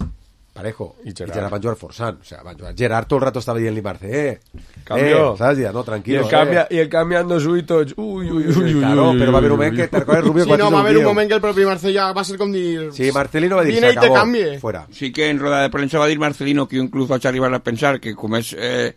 Speaker 3: Parejo,
Speaker 1: I
Speaker 3: i
Speaker 1: Gerard.
Speaker 3: Gerard van jugar forçant, o sea, van jugar. Gerard tot el rato estava dient-li Marce, eh,
Speaker 1: Cambio.
Speaker 3: eh, saps? Ja, no,
Speaker 1: I
Speaker 3: tranquilo,
Speaker 1: el, canvia,
Speaker 3: eh.
Speaker 1: i el cambiando su y tots... Uy, uy, uy, uy, uy,
Speaker 3: Claro,
Speaker 1: uy,
Speaker 3: però va haver un
Speaker 1: uy,
Speaker 3: moment
Speaker 1: uy,
Speaker 3: que te recordes, Rubio,
Speaker 4: Sí,
Speaker 3: quan
Speaker 4: no,
Speaker 3: és
Speaker 4: va
Speaker 3: un
Speaker 4: haver un
Speaker 3: tío.
Speaker 4: moment que el propi Marcellà va ser com dir...
Speaker 3: Sí, Marcelino va dir,
Speaker 4: Vine
Speaker 3: se
Speaker 4: i te
Speaker 3: acabó,
Speaker 4: canvie.
Speaker 3: fuera.
Speaker 5: Sí que en roda de premsa va dir Marcelino que jo inclús vaig arribar a pensar que com és eh,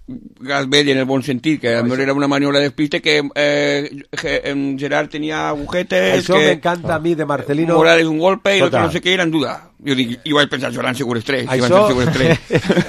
Speaker 5: gas vell en el bon sentit, que a lo mejor era una maniobra de despiste, que eh, Ge- em, Gerard tenia agujetes,
Speaker 3: Això
Speaker 5: que
Speaker 3: m'encanta a mi de Marcelino.
Speaker 5: Morales un golpe i l'altre
Speaker 3: Escolta.
Speaker 5: no sé què, era en duda. Jo dic, i vaig pensar, seran segures tres, i van
Speaker 3: Això,
Speaker 5: ser segures tres.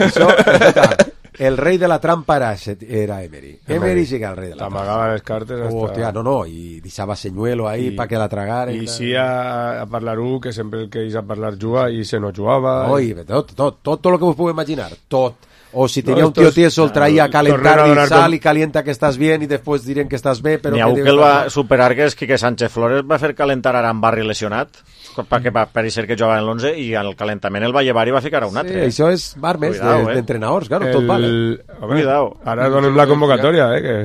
Speaker 3: això, escolta, el rei de la trampa era, era Emery. Emery sí que era el rei de la trampa.
Speaker 1: T'amagava les cartes hasta...
Speaker 3: Hòstia, no, no, i deixava senyuelo ahí
Speaker 1: I-
Speaker 3: para que la tragara.
Speaker 1: I sí a, a parlar un, que sempre el que és a parlar juga i se no jugava.
Speaker 3: Oi, tot, tot, tot, tot lo que vos puedo imaginar, tot. O si tenía
Speaker 1: No,
Speaker 3: un tío
Speaker 1: estos-
Speaker 3: tieso, el traía a calentar
Speaker 1: tornen a
Speaker 3: y
Speaker 1: donar
Speaker 3: sal
Speaker 1: com-
Speaker 3: y calienta que estás bien y después dirán que estás bé, però...
Speaker 6: N'hi ha
Speaker 3: que
Speaker 6: un
Speaker 3: dius
Speaker 6: que el va
Speaker 3: que-
Speaker 6: superar, que és Quique Sánchez Flores, va fer calentar ara amb Barri lesionat, perquè va parecer que jugava en l'onze, i al calentament el va llevar i va ficar a un
Speaker 3: Sí,
Speaker 6: altre.
Speaker 3: això és barmes
Speaker 6: Cuidao,
Speaker 3: de-
Speaker 6: eh.
Speaker 3: d'entrenadors, claro, tot vale.
Speaker 1: Home,
Speaker 6: Cuidao.
Speaker 1: Ara donem la convocatòria, eh, que...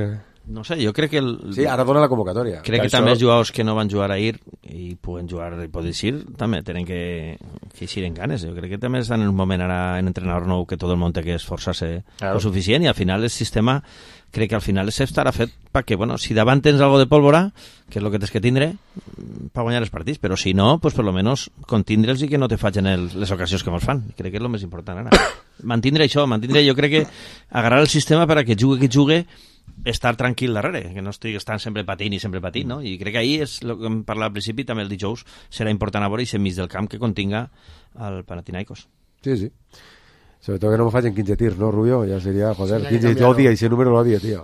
Speaker 7: No sé, jo crec que... El...
Speaker 3: Sí, ara dona la convocatòria.
Speaker 7: Crec que
Speaker 1: Això-
Speaker 7: també els jugadors que no van jugar ahir i puguen jugar i poden ir, també tenen que, que eixir en ganes. Jo crec que també estan en un moment ara en entrenador nou que tot el món té que esforçar-se
Speaker 6: Claro.
Speaker 7: lo suficient, i al final el sistema crec que al final estarà fet perquè, bueno, si davant tens algo de pólvora, que és el que tens que tindre per guanyar els partits, però si no, pues per lo menos contindre'ls i que no te facin el, les ocasions que mos fan. Crec que és el més important ara. Mantindre això, mantindre, jo crec que agarrar el sistema per a que jugue qui jugue, estar tranquil darrere, que no estigui estant sempre patint i sempre patint, no? I crec que ahir és el que hem parlat al principi, també el dijous serà important a veure i ser mig del camp que continga el Panathinaikos.
Speaker 3: Sí, sí. Sobre todo que no me fallen quinze tirs, ¿no, Rubio? Ya sería, joder,
Speaker 4: Sí, hay que
Speaker 3: quinze,
Speaker 4: cambiarlo.
Speaker 3: odia, ese número lo odia, tío.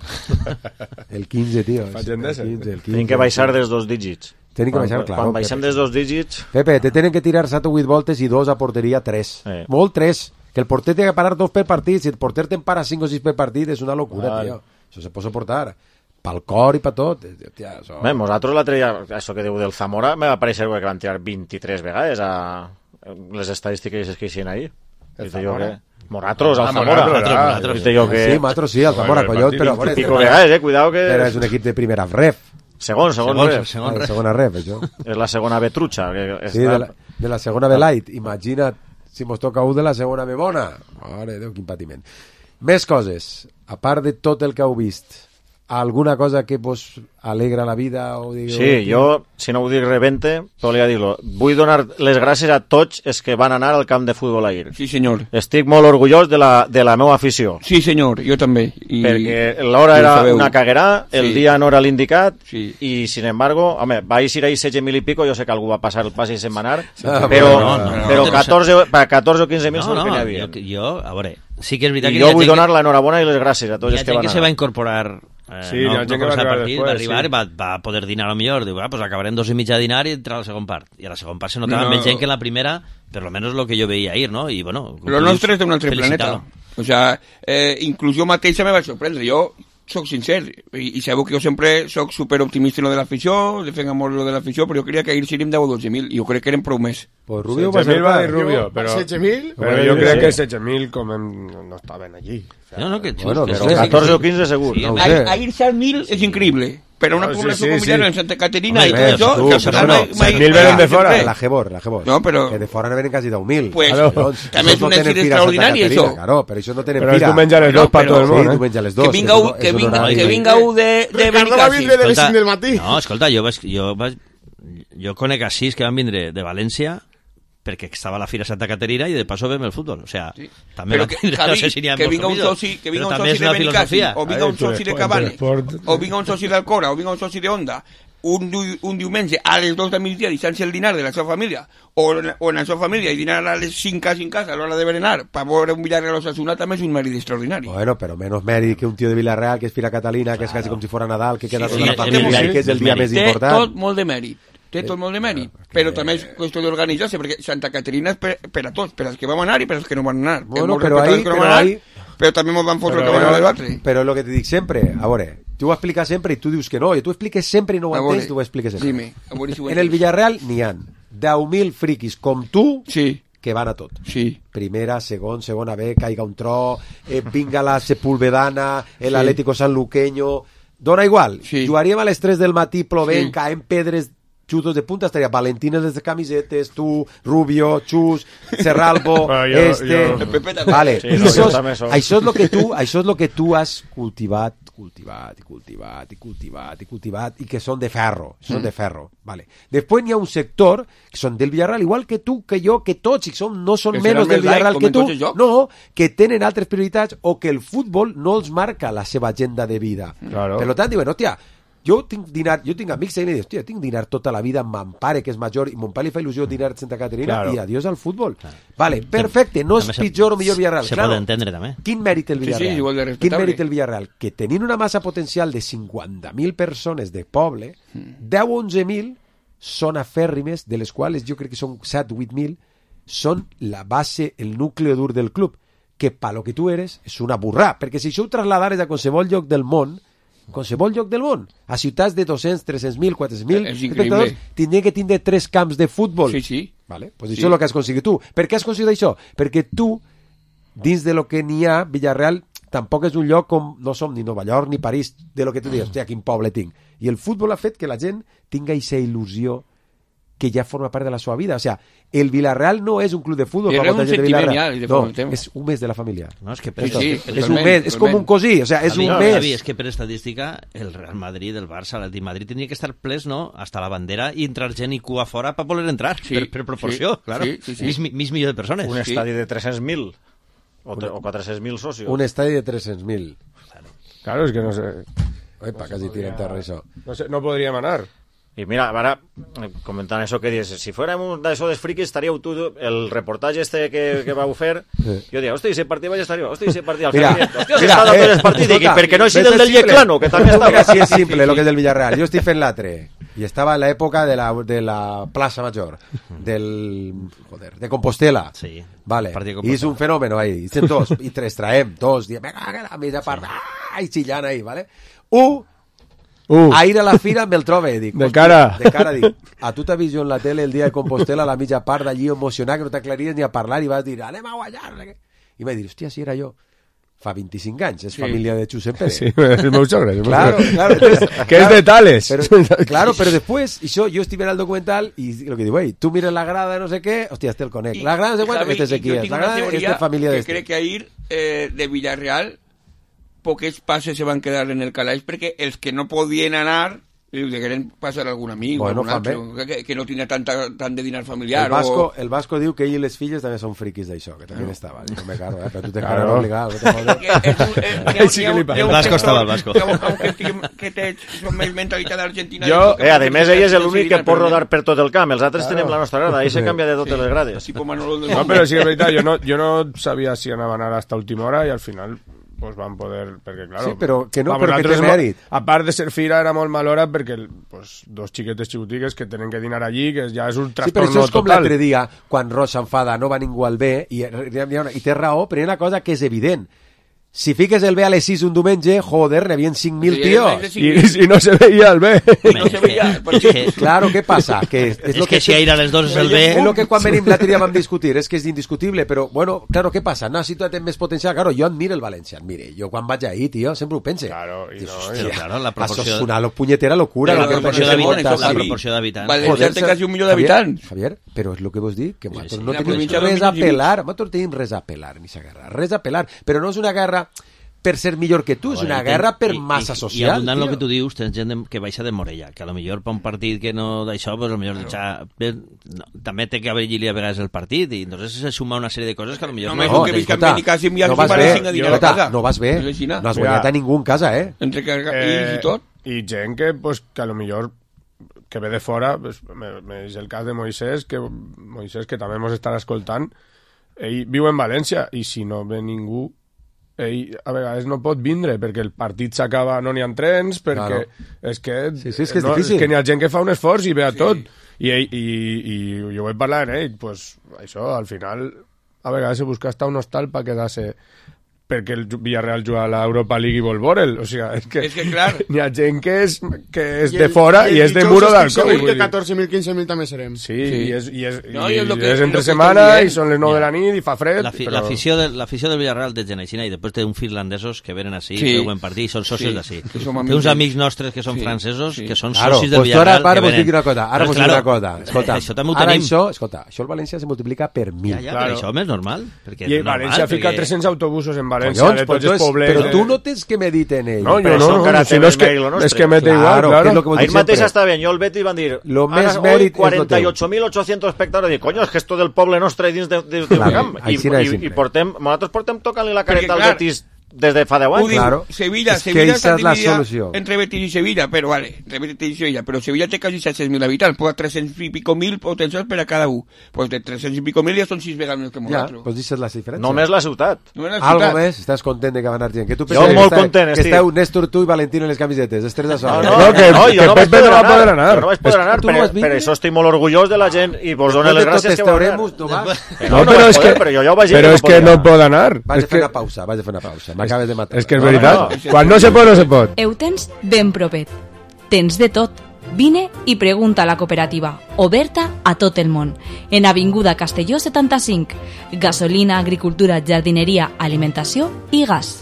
Speaker 3: El quinze, tío.
Speaker 1: Fallen
Speaker 3: el
Speaker 1: d'ese.
Speaker 3: quinze, el quinze.
Speaker 6: Tenim que baixar dels dos dígits.
Speaker 3: Tenim que
Speaker 6: Quan-
Speaker 3: baixar, claro.
Speaker 6: Quan baixem
Speaker 3: Pepe.
Speaker 6: dels dos dígits...
Speaker 3: Pepe, te tenen que tirar set o vuit voltes i dos a porteria tres.
Speaker 6: Eh.
Speaker 3: Molt tres. Que el porter té que parar dos per partit. Si el porter te'n para cinc o sis per partit és una locura,
Speaker 1: Vale.
Speaker 3: tio. Això se pot suportar. Pel cor i per tot. Tia, això...
Speaker 6: Bé, nosaltres l'altre dia, això que diu del Zamora, me va aparèixer que van tirar vint-i-tres vegades a les estadístiques que hicien ahir.
Speaker 1: El
Speaker 6: Dice jo
Speaker 1: Zamora?
Speaker 6: que... Moratros, al
Speaker 1: Ah,
Speaker 6: Zamora.
Speaker 1: Moratros, ah,
Speaker 7: Moratros.
Speaker 6: Dice jo que...
Speaker 3: Sí, Matro, sí, el Zamora,
Speaker 1: Bueno,
Speaker 3: collons,
Speaker 1: el
Speaker 3: però...
Speaker 1: partit
Speaker 3: bueno,
Speaker 6: Pico vegades, eh? Cuidao que...
Speaker 3: Però és un equip de primera ref.
Speaker 6: Segon, segon,
Speaker 7: Segon,
Speaker 6: ref.
Speaker 7: segon.
Speaker 3: Ah, segona ref, això.
Speaker 6: És la segona betrucha. Que
Speaker 3: Sí,
Speaker 6: està...
Speaker 3: de la, de la segona B light. Imagina't si mos toca un de la segona B bona. Mare de Déu, quin patiment. Més coses. A part de tot el que heu vist, alguna cosa que vos alegra la vida? O digueu,
Speaker 6: Sí, jo, si no ho dic rebente, podria dir-lo. Vull donar les gràcies a tots els que van anar al camp de futbol ahir.
Speaker 5: Sí, senyor.
Speaker 6: Estic molt orgullós de la, de la meva afició.
Speaker 5: Sí, senyor, jo també. I...
Speaker 6: Perquè l'hora
Speaker 5: i ho
Speaker 6: era
Speaker 5: sabeu.
Speaker 6: una caguerà, el
Speaker 5: Sí.
Speaker 6: dia no era l'indicat,
Speaker 5: Sí.
Speaker 6: i sin embargo, home, va eixir ahí setze mil i pico, jo sé que algú va passar el pas i se'n va anar,
Speaker 3: Ah,
Speaker 6: però,
Speaker 7: no, no, no,
Speaker 6: però
Speaker 7: no,
Speaker 6: catorze, per catorze o quinze mil
Speaker 7: No,
Speaker 6: segur
Speaker 7: no,
Speaker 6: que n'hi
Speaker 7: jo,
Speaker 6: havia.
Speaker 7: jo, a veure, sí que és veritat
Speaker 6: I
Speaker 7: que
Speaker 6: jo
Speaker 7: hi ha
Speaker 6: vull
Speaker 7: gent
Speaker 6: donar
Speaker 7: que-
Speaker 6: l'enhorabona i les gràcies a tots
Speaker 7: hi ha
Speaker 6: els que
Speaker 7: gent
Speaker 6: van
Speaker 7: que se
Speaker 6: anar.
Speaker 7: va incorporar Eh,
Speaker 1: Sí,
Speaker 7: no,
Speaker 1: hi ha gent
Speaker 7: no
Speaker 1: que va
Speaker 7: començar el
Speaker 1: arribar
Speaker 7: partit,
Speaker 1: després,
Speaker 7: va arribar
Speaker 1: sí.
Speaker 7: i va, va poder dinar a lo millor. Diu, ah, pues acabarem dos i mitja a dinar i entrar a la segona part. I a la segona part se notava
Speaker 5: No,
Speaker 7: no,
Speaker 5: no.
Speaker 7: més gent que en la primera, per lo menos lo que jo veia ahir, no? I bueno...
Speaker 5: Lo nostre és d'un altre planeta.
Speaker 7: felicitar-lo.
Speaker 5: O sea, eh, inclús jo mateixa me va sorprendre. Jo soc sincer, i, i sabeu que jo sempre soc superoptimista en lo de l'afició, defenc molt lo de l'afició, però jo creia que ahir seríem deu o dotze mil, i jo crec que eren prou més.
Speaker 3: Pues Rubio va
Speaker 1: setze mil va
Speaker 3: ser
Speaker 1: dir Rubio, però,
Speaker 4: setze mil?
Speaker 1: però jo crec que setze mil com hem, no estaven allí.
Speaker 7: No, no, que...
Speaker 3: Bueno,
Speaker 7: que
Speaker 3: però
Speaker 7: sí,
Speaker 6: catorze
Speaker 7: sí.
Speaker 6: o quinze segur.
Speaker 7: Sí,
Speaker 3: No ho
Speaker 5: Ahir,
Speaker 3: sé.
Speaker 5: ahir set mil és increïble, però una
Speaker 1: No, sí,
Speaker 5: població
Speaker 1: sí,
Speaker 5: familiar
Speaker 1: sí.
Speaker 5: en Santa Caterina
Speaker 3: Home,
Speaker 5: i tot
Speaker 3: ves,
Speaker 5: això...
Speaker 3: tu,
Speaker 5: que al
Speaker 3: però
Speaker 5: final
Speaker 3: no,
Speaker 5: mai- mai-
Speaker 1: set mil venen de
Speaker 5: sempre.
Speaker 1: fora.
Speaker 3: La Gebor, la Gebor.
Speaker 5: No, però-
Speaker 3: Que de fora n'havien quasi deu mil.
Speaker 5: Pues,
Speaker 1: Claro.
Speaker 3: Llavors,
Speaker 5: també és
Speaker 3: això
Speaker 5: un
Speaker 3: no tenen
Speaker 5: èxit
Speaker 3: fira a Santa
Speaker 5: extraordinari,
Speaker 3: Caterina,
Speaker 5: això.
Speaker 3: Claro, però això no tenen
Speaker 1: Però és
Speaker 3: fira.
Speaker 1: diumenge a les
Speaker 5: No,
Speaker 1: dos per
Speaker 5: però-
Speaker 1: tot el
Speaker 3: Sí,
Speaker 1: món, eh?
Speaker 3: diumenge a les dos.
Speaker 5: Que vinga,
Speaker 3: és
Speaker 5: u,
Speaker 3: un-
Speaker 5: que
Speaker 3: és un
Speaker 5: vinga,
Speaker 3: horari.
Speaker 5: que vinga u de, de
Speaker 4: Ricardo va
Speaker 5: Benicàssim.
Speaker 4: vindre de les cinc del matí.
Speaker 7: No, escolta, jo, vaig, jo, vaig, jo conec a sis que van vindre de València perquè estava a la Fira Santa Caterina i de passo veiem el futbol. O sea,
Speaker 5: Sí.
Speaker 7: també
Speaker 5: Però
Speaker 7: va
Speaker 5: que,
Speaker 7: tindre,
Speaker 5: Javi,
Speaker 7: no sé si n'hi ha
Speaker 5: que
Speaker 7: molts
Speaker 5: vinga un
Speaker 7: compromisos,
Speaker 5: soci, que vinga
Speaker 7: però
Speaker 5: un
Speaker 7: també
Speaker 5: soci
Speaker 7: és
Speaker 5: de
Speaker 7: una
Speaker 5: Benicàssim,
Speaker 7: filosofia.
Speaker 5: o vinga un
Speaker 1: Ai,
Speaker 5: soci de
Speaker 1: Telesport,
Speaker 5: Cabane,
Speaker 1: Telesport.
Speaker 5: o vinga un soci d'Alcora, o vinga un soci d'Onda, un, diu- un diumenge a les dos del migdia deixant-se el dinar de la seva família, o, en- o en la seva família i dinar a les cinc a cinc casa a l'hora de berenar per veure un Villarreal Osasuna també és un mèrit extraordinari.
Speaker 3: Bueno, pero menos mèrit que un tío de Villarreal, que es Fira Catalina, que es casi como si fuera Nadal, que queda
Speaker 5: Sí,
Speaker 3: toda
Speaker 5: sí,
Speaker 3: la familia
Speaker 5: sí,
Speaker 3: y que és el
Speaker 7: sí,
Speaker 3: dia
Speaker 7: sí.
Speaker 3: més
Speaker 5: Té
Speaker 3: important.
Speaker 5: tot molt de mèrit. Té tot molt de mèrit, però també és qüestió d'organitzar-se, perquè Santa Caterina és per, per a tots, per als que vam anar i per als que no van anar.
Speaker 3: Bueno,
Speaker 5: Molts
Speaker 3: però
Speaker 5: respectables
Speaker 3: ahí-
Speaker 5: que no
Speaker 3: però
Speaker 5: van anar,
Speaker 3: ahí-
Speaker 5: però també ens van fotre el
Speaker 3: Pero,
Speaker 5: que van anar a l'altre.
Speaker 3: pero lo que te dic sempre, a veure, tu ho expliques sempre i tu dius que no, i tu expliques sempre i no ho
Speaker 5: A veure,
Speaker 3: entens, tu ho expliques sempre.
Speaker 5: dime, a veure si ho
Speaker 3: En el
Speaker 5: entens.
Speaker 3: Villarreal n'hi ha deu mil friquis com tu
Speaker 5: Sí,
Speaker 3: que van a tot.
Speaker 5: sí.
Speaker 3: Primera, segon, segona B, caiga un tro, eh, vinga la Sepulvedana, el
Speaker 5: Sí.
Speaker 3: Atlético Sanluqueño, dona igual.
Speaker 5: Sí.
Speaker 3: Jugaríem a les tres del matí plovent,
Speaker 5: Sí.
Speaker 3: caent pedres, xutos de punta, estaria Valentines les de camisetes, tu, Rubio, Xus, Serralbo,
Speaker 1: Bueno, jo-
Speaker 3: este...
Speaker 1: jo-
Speaker 5: El Pepe també.
Speaker 3: Vale,
Speaker 6: Sí,
Speaker 3: I
Speaker 6: no,
Speaker 3: això,
Speaker 6: jo
Speaker 3: és,
Speaker 6: també soc.
Speaker 3: això, és lo que tu, això és lo que tu has cultivat, cultivat, i cultivat, i cultivat, i cultivat, i que són de ferro, són
Speaker 5: Mm.
Speaker 3: de ferro, vale. Després n'hi ha un sector que són del Villarreal, igual que tu, que jo, que tots, i som, no són
Speaker 5: Que
Speaker 3: menys
Speaker 5: seran
Speaker 3: del
Speaker 5: més laic,
Speaker 3: Villarreal
Speaker 5: com
Speaker 3: que
Speaker 5: en
Speaker 3: tu,
Speaker 5: tots els jocs.
Speaker 3: no, que tenen altres prioritats o que el futbol no els marca la seva agenda de vida.
Speaker 1: Claro.
Speaker 3: Per tant, diuen, hòstia, jo tinc dinar, jo tinc amics i diuen, hòstia, tinc dinar tota la vida amb mon pare, que és major, i mon pare li fa il·lusió dinar a Santa Caterina,
Speaker 1: Claro.
Speaker 3: i adiós al futbol. Vale, perfecte, no és
Speaker 7: També se-
Speaker 3: pitjor o millor Villarreal.
Speaker 7: Se
Speaker 3: claro.
Speaker 7: pot entendre, també.
Speaker 3: Quin mèrit el
Speaker 5: Sí, sí,
Speaker 3: Villarreal?
Speaker 5: igual de
Speaker 3: Quin
Speaker 5: respectable.
Speaker 3: mèrit el Villarreal? Que tenint una massa potencial de cinquanta mil persones de poble, deu o onze mil són afèrrimes, de les quals jo crec que són set o vuit mil, són la base, el núcleo dur del club, que pa lo que tu eres és una burrà, perquè si això ho trasladares a qualsevol lloc del món, qualsevol lloc del món, a ciutats de dos-cents, tres-cents mil, quatre-cents mil
Speaker 5: És increïble.
Speaker 3: espectadors, tindria que tindre tres camps de futbol.
Speaker 5: Sí, sí.
Speaker 3: Vale? Pues
Speaker 5: Sí.
Speaker 3: això és el que has aconseguit tu. Per què has aconseguit això? Perquè tu, dins de lo que n'hi ha, Villarreal tampoc és un lloc com no som ni Nova York ni París, de lo que tu dius, hòstia, quin poble tinc. I el futbol ha fet que la gent tinga aquesta il·lusió que ja forma part de la seva vida. O sea, el Villarreal no és un club de futbol
Speaker 5: És
Speaker 3: per molta
Speaker 5: un
Speaker 3: gent de
Speaker 5: sentiment
Speaker 3: Villarreal.
Speaker 5: ja, de
Speaker 3: no,
Speaker 5: forma, tema.
Speaker 3: és un mes de la família.
Speaker 7: No, és que
Speaker 5: Sí, sí,
Speaker 3: és un
Speaker 5: totalment,
Speaker 3: mes, és com
Speaker 5: totalment.
Speaker 3: un cosí, o sea, és
Speaker 7: Javi,
Speaker 3: un
Speaker 7: no,
Speaker 3: mes.
Speaker 7: Javi, és que per estadística el Real Madrid, el Barça, l'Atlètic Madrid tindria que estar ples, no?, hasta la bandera i entrar gent i cua fora per poder entrar,
Speaker 5: Sí,
Speaker 7: per, per proporció,
Speaker 5: sí,
Speaker 7: claro.
Speaker 5: sí, sí, sí.
Speaker 7: Mig, mig milió de persones.
Speaker 6: Un
Speaker 5: Sí.
Speaker 6: estadi de tres-cents mil o, tre- o quatre-cents mil socios.
Speaker 3: Un estadi de tres-cents mil.
Speaker 1: Claro, és que no sé...
Speaker 3: Epa, quasi tira en terra això.
Speaker 1: No, sé, no podríem anar.
Speaker 6: I mira, ara, eh, comentant això que dius, si fuérem un d'això dels friquis, estaríeu tu, el reportatge este que, que vau fer, jo diria, hosti, si partit vaig estar jo, hosti, si partit al
Speaker 3: Mira,
Speaker 6: Javier, hosti, si
Speaker 3: mira,
Speaker 6: està
Speaker 3: eh,
Speaker 6: tots els partits, i
Speaker 3: escolta,
Speaker 6: per què no així
Speaker 3: ves
Speaker 6: del del
Speaker 3: simple.
Speaker 6: Yeclano, que també
Speaker 3: Mira,
Speaker 6: estava...
Speaker 3: sí, és simple, lo que és del Villarreal. Jo estic fent l'altre, i estava en l'època de la, de la plaça Major, del... joder, de Compostela.
Speaker 7: Sí,
Speaker 3: Vale,
Speaker 7: partit de
Speaker 3: i
Speaker 7: Compostela.
Speaker 3: és un fenòmeno ahí, i estem tots, i tres traem, tots, diem, venga, que la mitja part, ah, i xillant ahí, vale? Un,
Speaker 1: Uh,
Speaker 3: a ir a la fira me'l trobe, dic.
Speaker 1: De
Speaker 3: hòstia,
Speaker 1: cara.
Speaker 3: De cara, dic. A tu t'ha vist jo en la tele el dia de Compostela, a la mitja part d'allí emocionat, que no t'aclaries ni a parlar, i vas dir, anem a guanyar. no sé què. I vaig dir, hòstia, si era jo. Fa vint-i-cinc anys, és
Speaker 5: Sí.
Speaker 3: família de Josep Pérez.
Speaker 1: sí, el meu sogre. el meu
Speaker 3: Claro,
Speaker 1: sogre.
Speaker 3: claro. Entonces,
Speaker 1: Que és de Tales.
Speaker 3: Pero, claro, pero después, y yo, yo estoy viendo el documental y lo que digo, hey, tú miras la grada, no sé qué, hostia, este el Conec. La grada no sé cuánto,
Speaker 5: Javi,
Speaker 3: este es
Speaker 5: i
Speaker 3: aquí.
Speaker 5: jo
Speaker 3: La
Speaker 5: tinc una
Speaker 3: grada,
Speaker 5: teoria
Speaker 3: este es familia de
Speaker 5: que
Speaker 3: este.
Speaker 5: crec que ahir eh, de Villarreal poques passes se van quedar en el calaix perquè els que no podien anar li degueren passar a algun amic
Speaker 3: Bueno,
Speaker 5: o algun
Speaker 3: fan
Speaker 5: altre, que, que no tenia tanta, tant de dinar familiar
Speaker 3: El Vasco,
Speaker 5: o...
Speaker 3: el Vasco diu que ell i les filles també són friquis d'això, que també estaven. No me caro, eh? Però tu te
Speaker 1: Claro.
Speaker 3: claro. obligado. No te jodes.
Speaker 5: Que és un- eh, n'hi ha-
Speaker 1: Sí
Speaker 5: n'hi ha-
Speaker 1: que li
Speaker 5: n'hi ha
Speaker 7: El
Speaker 5: un
Speaker 7: Vasco
Speaker 5: sector
Speaker 7: estava, el Vasco.
Speaker 5: que, aunque estiguem- que té són més mentalitat argentina
Speaker 1: Jo-
Speaker 6: Eh, a més, ell és l'únic que pot rodar per tot el camp, els altres tenim la nostra grada, ahí se canvia de totes les grades.
Speaker 5: tipo Manolo del
Speaker 1: No, però sí que és veritat, jo no, jo no sabia si anava a anar hasta última hora i al final pues van poder... Perquè, claro,
Speaker 3: sí, però que no,
Speaker 1: vamos,
Speaker 3: però que té mèrit.
Speaker 1: A part de ser fira, era molt mal hora perquè pues, dos xiquetes xicotigues que tenen que dinar allí, que ja és un trastorno total. Sí, però això és com
Speaker 3: total. L'altre dia, quan Ross s'enfada, no va ningú al bé, i, i té raó, però hi ha una cosa que és evident. Si fiques el B a les sis un diumenge, joder, n'hi havia cinc mil tios.
Speaker 1: I, I no se veia el B.
Speaker 5: No se veia.
Speaker 3: Perquè... Claro, què passa? Que és,
Speaker 7: és
Speaker 3: lo
Speaker 7: que, que si ahir a les dos és el B...
Speaker 3: És el que quan venim l'altre dia vam discutir, és que és indiscutible, però, bueno, claro, què passa? No, si tu tens més potencial, claro, jo admiro el València, admire. Jo quan vaig ahir, tio, sempre ho pense.
Speaker 1: Claro, i no,
Speaker 7: Hòstia, claro, la proporció...
Speaker 3: Això és una punyetera locura.
Speaker 7: La proporció d'habitants.
Speaker 5: València té quasi un milió d'habitants.
Speaker 3: Javier, però és el que vos dic, que nosaltres no tenim res a pelar, nosaltres tenim res a pelar, ni sa guerra, res a pelar, però no és una guerra per ser millor que tu, és una guerra per massa social.
Speaker 7: I abundant el que tu dius, tens gent de, que baixa de Morella, que a lo millor per un partit que no d'això, pues a lo millor deixar... No, també té que haver-hi a vegades el partit, i entonces se suma una sèrie de coses que a lo millor...
Speaker 5: No, no, que escolta, no vas bé,
Speaker 3: escolta, no vas bé, no has guanyat a ningú en casa, eh?
Speaker 5: Entre cargaïls i tot.
Speaker 1: I gent que, pues, que a lo millor que ve de fora, pues, és el cas de Moisés, que Moisés, que també ens estarà escoltant, ell viu en València, i si no ve ningú, ell a vegades no pot vindre perquè el partit s'acaba, no n'hi ha trens, perquè claro. és que,
Speaker 3: sí, sí, és, que és,
Speaker 1: no, és que n'hi ha gent que fa un esforç i ve a sí. tot i, ell, i, i jo vaig parlar amb ell, pues, això al final a vegades se busca hasta un hostal per quedar-se perquè el Villarreal juga a l'Europa League i vol veure'l, o sigui, és que,
Speaker 5: és que clar,
Speaker 1: n'hi ha gent que és, que és de fora i, i és de muro del Covid.
Speaker 4: Que catorze mil, quinze mil també serem.
Speaker 1: Sí, sí. i és, i és,
Speaker 5: no,
Speaker 1: i
Speaker 5: i és,
Speaker 1: i
Speaker 5: que,
Speaker 1: és entre setmana i són les nou ja. de la nit i fa fred.
Speaker 7: L'afició de, del Villarreal té gent així, i després té uns finlandesos que venen així, sí. veuen partit i són socis sí. d'ací. Té uns amics nostres que són sí. francesos, sí. que són
Speaker 3: claro,
Speaker 7: socis del
Speaker 3: pues
Speaker 7: Villarreal.
Speaker 3: Ara vos dic una cosa, ara vos dic una cosa. Escolta,
Speaker 7: això també ho
Speaker 3: ara
Speaker 7: tenim.
Speaker 3: això, escolta, això el València se multiplica per mil.
Speaker 7: Ja, ja, però això és normal.
Speaker 1: I València fica tres-cents autobusos en València, de tots els pobles.
Speaker 3: Però tu no tens que medir en ell.
Speaker 1: No, jo no, no, si no és que, és que me da igual, claro.
Speaker 6: Ahí mateix està bien, jo el Betis van dir,
Speaker 3: lo més mèrit
Speaker 6: cuarenta y ocho mil ochocientos espectadors, dic, coño, és que esto del poble nostre dins de, de, de camp. I, i, i portem, nosaltres portem tocant-li la careta al Betis des de fa deu anys.
Speaker 3: Claro.
Speaker 5: Sevilla,
Speaker 3: es
Speaker 5: Sevilla
Speaker 3: està dividida
Speaker 5: entre Betis i Sevilla, però vale, entre Betis i Sevilla, però Sevilla té quasi set-cents mil habitants, pues tres-cents i pico mil potencials per a cada un. Pues de tres-cents i pico mil ja són sis vegades més que nosaltres.
Speaker 3: Ja, pues deixes la diferència.
Speaker 6: Només la ciutat.
Speaker 5: Només la
Speaker 3: ciutat. Algo més, estàs content de que va anar gent. Que tu
Speaker 6: jo molt
Speaker 3: que
Speaker 6: content,
Speaker 3: estic. Que esteu Néstor, tu i Valentín en les camisetes, els tres de sol.
Speaker 6: No, no, que, no, jo no vaig poder anar. Jo no vaig poder anar, per, per això estic molt orgullós de la gent i vos dono les gràcies que vau anar.
Speaker 1: No, però és que, però és que no pot anar.
Speaker 3: Vaig a fer una pausa, vaig a fer una pausa. M'acabes de matar.
Speaker 1: És que és veritat. No, no. Quan no se pot, no se pot.
Speaker 17: Ho tens ben propet. Tens de tot. Vine i pregunta a la cooperativa, oberta a tot el món. En Avinguda Castelló setanta-cinc. Gasolina, agricultura, jardineria, alimentació i gas.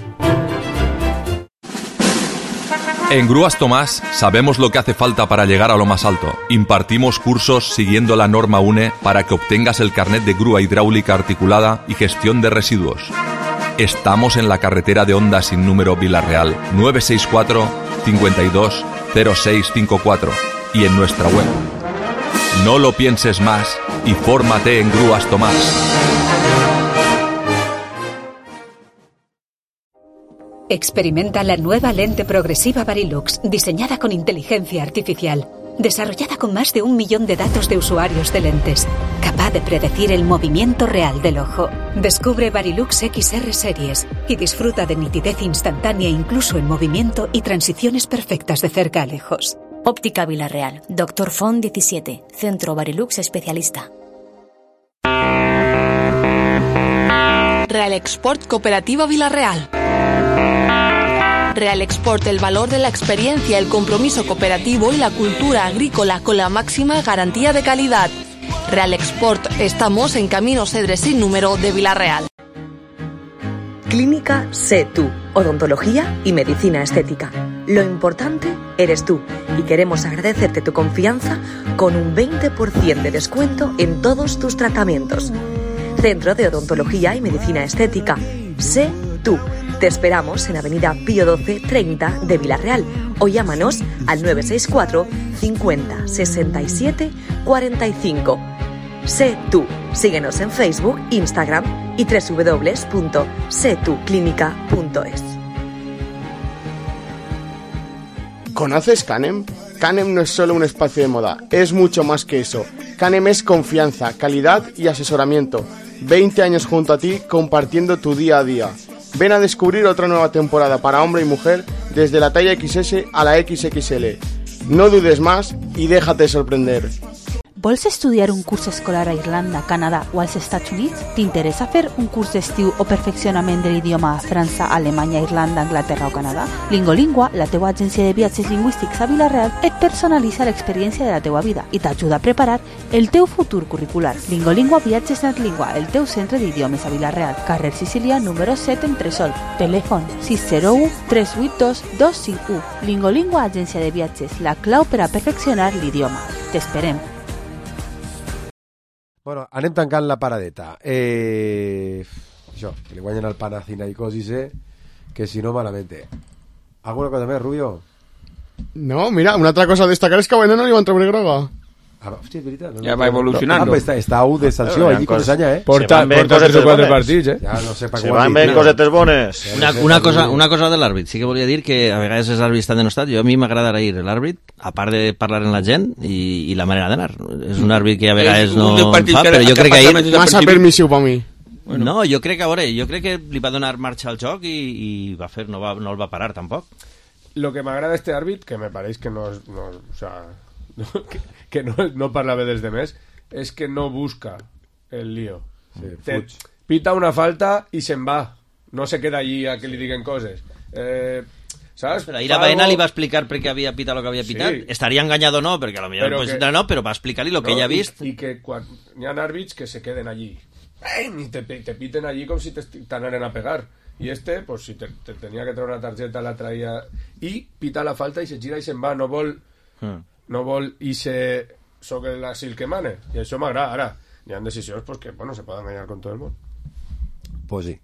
Speaker 18: En Grúas Tomás sabemos lo que hace falta para llegar a lo más alto. Impartimos cursos siguiendo la norma U N E para que obtengas el carnet de grúa hidráulica articulada y gestión de residuos. Estamos en la carretera de Honda sin número Villarreal, nueve seis cuatro, cinco dos, cero seis cinco cuatro y en nuestra web. No lo pienses más y fórmate en Grúas Tomás.
Speaker 19: Experimenta la nueva lente progresiva Varilux, diseñada con inteligencia artificial, desarrollada con más de un millón de datos de usuarios de lentes, capaz de predecir el movimiento real del ojo. Descubre Varilux X R Series y disfruta de nitidez instantánea incluso en movimiento y transiciones perfectas de cerca a lejos.
Speaker 20: Óptica Villarreal, Doctor Font diecisiete, Centro Varilux Especialista.
Speaker 9: Real Export Cooperativa Villarreal. Real Export, el valor de la experiencia, el compromiso cooperativo y la cultura agrícola con la máxima garantía de calidad. Real Export, estamos en Camino Cedres sin número de Villarreal.
Speaker 21: Clínica Sé Tú, odontología y medicina estética. Lo importante eres tú y queremos agradecerte tu confianza con un veinte por ciento de descuento en todos tus tratamientos. Centro de Odontología y Medicina Estética. Sé Tú. Te esperamos en Avenida Pío doce treinta de Villarreal o llámanos al nueve seis cuatro, cincuenta, sesenta y siete, cuarenta y cinco. Sé Tú. Síguenos en Facebook, Instagram y doble u doble u doble u punto sé tú clínica punto es.
Speaker 4: ¿Conoces Canem? Canem no es solo un espacio de moda, es mucho más que eso. Canem es confianza, calidad y asesoramiento. veinte años junto a ti compartiendo tu día a día. Ven a descubrir otra nueva temporada para hombre y mujer desde la talla equis ese a la equis equis ele. No dudes más y déjate sorprender.
Speaker 17: Vols estudiar un curs escolar a Irlanda, Canadà o als Estats Units? T'interessa fer un curs d'estiu o perfeccionament de l'idioma a França, Alemanya, Irlanda, Anglaterra o Canadà? Lingolingua, la teua agència de viatges lingüístics a Vila-real, et personalitza l'experiència de la teua vida i t'ajuda a preparar el teu futur curricular. Lingolingua Viatges Netlingua, el teu centre d'idiomes a Vila-real, carrer Sicília, número set, Entresol. Telèfon sis zero u tres vuit dos dos cinc u. Lingolingua, agència de viatges, la clau per a perfeccionar l'idioma. T'esperem.
Speaker 3: Bueno, anem tancant la paradeta. Eh... Això, que li guanyen el Panathinaikos i sé que si no malament. ¿Alguna cosa més, Rubio?
Speaker 4: No, mira, una altra cosa a destacar és que a Bueno no li van treure groga.
Speaker 3: Ah, hòstia, és veritat. No,
Speaker 5: ja va evolucionant.
Speaker 3: No, està, està a u de sanció, allí con Sanya, eh?
Speaker 1: Porta, porta tres o quatre partits, eh?
Speaker 3: Ja no sé per
Speaker 6: Se van ben cosetes bones.
Speaker 7: Una, una, cosa, una cosa de l'àrbit. Sí que volia dir que a vegades els àrbits estan denostats. Jo a mi m'agrada ir l'àrbit, a part de parlar amb la gent i, i la manera d'anar. És un àrbit que a vegades no fa, però jo crec que ahir...
Speaker 4: Massa permissiu per mi.
Speaker 7: Bueno. No, jo crec que, a veure, jo crec que li va donar marxa al joc i, i va fer, no, va, no el va parar tampoc.
Speaker 1: Lo que m'agrada este àrbit, que me pareix que no... no o sea, no, que, que no, no parla bé dels demés, és que no busca el lío. Sí, Te, pita una falta i se'n va. No se queda allí a que li diguen coses. Eh, ¿sabes?
Speaker 7: Però ahir a Baena li va explicar per què havia pitat el que havia pitat. Sí. Estaria enganyat o no, perquè a lo millor pues, que, no, però va explicar-li el que no, ell ha vist.
Speaker 1: I, i que quan hi ha àrbits que se queden allí. I te, te piten allí com si t'anaren a pegar. I este, pues si te, te tenia que treure una targeta, la traia i pita la falta i se gira i se'n va. No vol... Hmm. no vol i se soc l'asil que mane i això m'agrada. Ara hi ha decisions pues, que bueno, se poden enganyar con tot el món.
Speaker 3: Pues sí.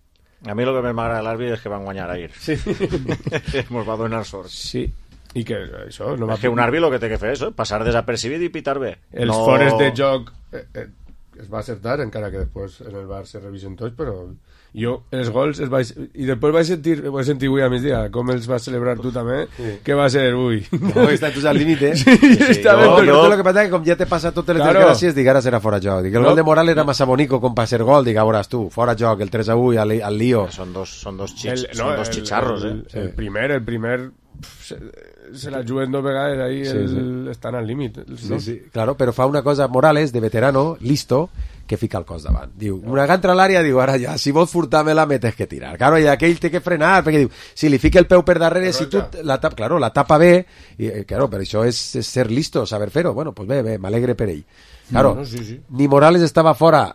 Speaker 6: A mi el que més m'agrada de l'àrbit és que van guanyar ahir.
Speaker 1: Sí.
Speaker 6: Ens va donar sort.
Speaker 1: Sí. I que això no
Speaker 6: és que un àrbit el que té que fer és passar desapercibit i pitar bé.
Speaker 1: Els no... fores de joc eh, eh, es va acertar, encara que després en el bar se revisen tots, però jo els gols els vaig... i després vaig sentir vaig sentir avui a migdia com els vas celebrar tu també, sí. Que va ser ui
Speaker 3: no, està tu al límit, eh?
Speaker 1: Sí, sí, sí.
Speaker 3: Està no, no, lo que passa que com ja te passa totes les claro. Desgràcies, dic ara serà fora joc, dic el no. Gol de Morales era massa bonico com per ser gol, dic ara tu, fora joc, el tres a u al, al lío.
Speaker 6: Són dos, són dos, xich,
Speaker 1: el,
Speaker 6: són
Speaker 1: no,
Speaker 6: dos
Speaker 1: el,
Speaker 6: xicharros,
Speaker 1: el,
Speaker 6: eh?
Speaker 1: El primer, el primer se, se la juguen dos vegades ahí, sí, el, sí. Estan al límit.
Speaker 3: Sí, sí, claro, però fa una cosa Morales, de veterano, listo, que fica el cos davant. Diu, una que entra a l'àrea, diu, ara ja, si vols furtar-me-la, me tens que tirar. Claro, i aquell té que frenar, perquè diu, si li fica el peu per darrere, si tu la tapa, claro, la tapa bé, i, claro, per això és, és ser listo, saber fer-ho. Bueno, pues bé, bé, m'alegre per ell. Claro, no, no, sí, sí. Ni Morales estava fora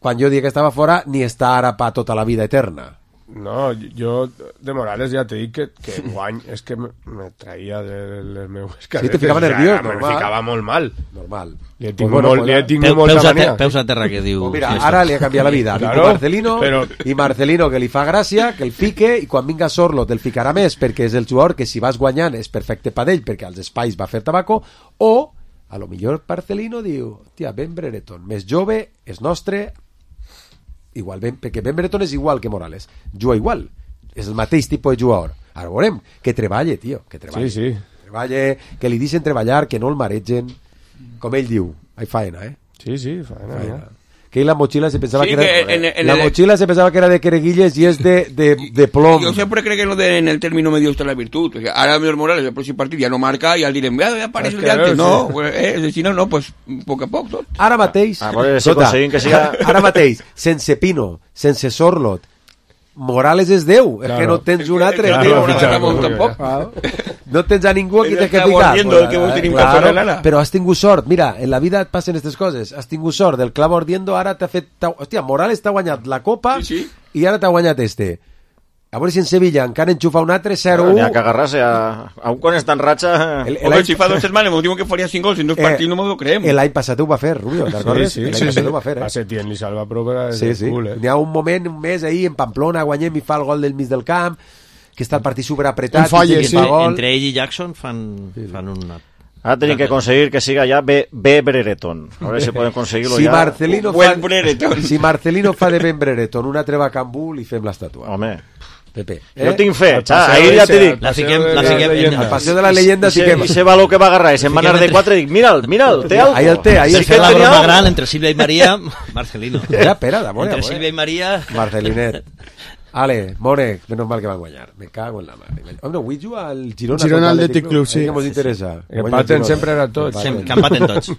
Speaker 3: quan jo dic que estava fora, ni està ara pa tota la vida eterna.
Speaker 1: No, jo de Morales ja t'he dit que, que guany és que me, me traïa de les meves caretes.
Speaker 3: Sí, te ficava nerviós,
Speaker 1: ja,
Speaker 3: normal.
Speaker 1: Me ficava molt mal.
Speaker 3: Normal.
Speaker 1: Li he tingut, bueno, molt, li he tingut
Speaker 7: peu,
Speaker 1: molta
Speaker 7: peus
Speaker 1: mania.
Speaker 7: A te, peus a terra, que diu...
Speaker 3: Pues mira, ara li ha canviat la vida. Claro, Marcelino, però... i Marcelino que li fa gràcia, que el fique, i quan vinga Sorlot el ficarà més, perquè és el jugador que si vas guanyant és perfecte per ell, perquè als espais va fer tabaco, o a lo millor Marcelino diu, tia, Ben Brereton, més jove, és nostre, igual, ben, perquè Ben Brereton és igual que Morales, juga igual, és el mateix tipus de jugador. Ara veurem, que treballe, tio, que treballe.
Speaker 1: Sí, sí.
Speaker 3: Treballe, que li deixen treballar, que no el maregen, com ell diu, hay faena, eh?
Speaker 1: Sí, sí, faena, faena. Ja.
Speaker 3: Que la mochila se pensaba
Speaker 5: sí,
Speaker 3: que era
Speaker 5: que en, en
Speaker 3: la
Speaker 5: el...
Speaker 3: mochila se pensaba que era de quereguilles y es de, de, de plomo.
Speaker 5: Yo siempre creo que no de, en el término medio está la virtud. O sea, ahora Miguel Morales el próximo partido ya no marca y al direm, ya, ya aparece el de antes. No, sí. Pues, eh, si no, no, pues poco a poco. Tot.
Speaker 3: Ara mateix,
Speaker 6: ah, pues, si aconseguim que siga...
Speaker 3: ara mateix, sense Pino, sense Sorlot, Morales és Déu, claro. És que no tens un altre,
Speaker 1: claro,
Speaker 3: Déu.
Speaker 1: Claro, no,
Speaker 3: tampoc. No tens a ningú aquí que ficar.
Speaker 5: Bueno, claro,
Speaker 3: però has tingut sort. Mira, en la vida et passen aquestes coses. Has tingut sort del clavo ardiendo, ara t'ha fet... Hòstia, Morales t'ha guanyat la Copa sí, sí. I ara t'ha guanyat este. A veure si en Sevilla encara enxufa un altre zero u.
Speaker 6: N'hi ha que agarrar-se a... Aún quan està en ratxa...
Speaker 5: El, el, el si fa dos setmanes m'ho diuen que faria cinc gols en dos eh, partits, no m'ho creem.
Speaker 3: L'any passat ho va fer, Rubio, te'n recordes?
Speaker 1: Sí, sí,
Speaker 3: l'any
Speaker 1: sí,
Speaker 3: passat
Speaker 1: sí.
Speaker 3: ho va fer, eh?
Speaker 1: A Setién li salva prova
Speaker 3: sí, sí.
Speaker 1: Cool, eh?
Speaker 3: N'hi ha un moment, un mes ahí, en Pamplona, guanyem i fa el gol del mig del camp, que està el partit superapretat.
Speaker 4: Falle, sí.
Speaker 7: Entre, entre ell i Jackson fan, fan una...
Speaker 6: Ara tenim que aconseguir que siga ja B, B Brereton. A veure si podem aconseguir-lo
Speaker 3: si
Speaker 6: ja.
Speaker 3: Marcelino fa, si Marcelino fa de Ben Brereton una treva a Cambú, li fem l'estàtua.
Speaker 6: Home...
Speaker 3: Pepe.
Speaker 6: Eh? Jo tinc fe, xa, ahir ja t'he dit.
Speaker 7: La fiquem, la fiquem.
Speaker 3: Al paseo de la leyenda sí que...
Speaker 6: I se va lo que va agarrar, i se'n va anar de quatre i dic, mira'l, mira'l, té algo.
Speaker 3: Ahí el té, ahí el té.
Speaker 7: La broma gran entre Silvia i Maria, Marcelino.
Speaker 3: Ja, espera, d'amor.
Speaker 7: Entre Silvia i Maria...
Speaker 3: Marcelinet. Ale, Mone, menos mal que van a guanyar. Me cago en la mare. Home, avui juga el Girona.
Speaker 4: Girona Athletic Club, sí.
Speaker 3: Que mos interessa.
Speaker 1: Que empaten sempre era tots.
Speaker 7: Que empaten tots.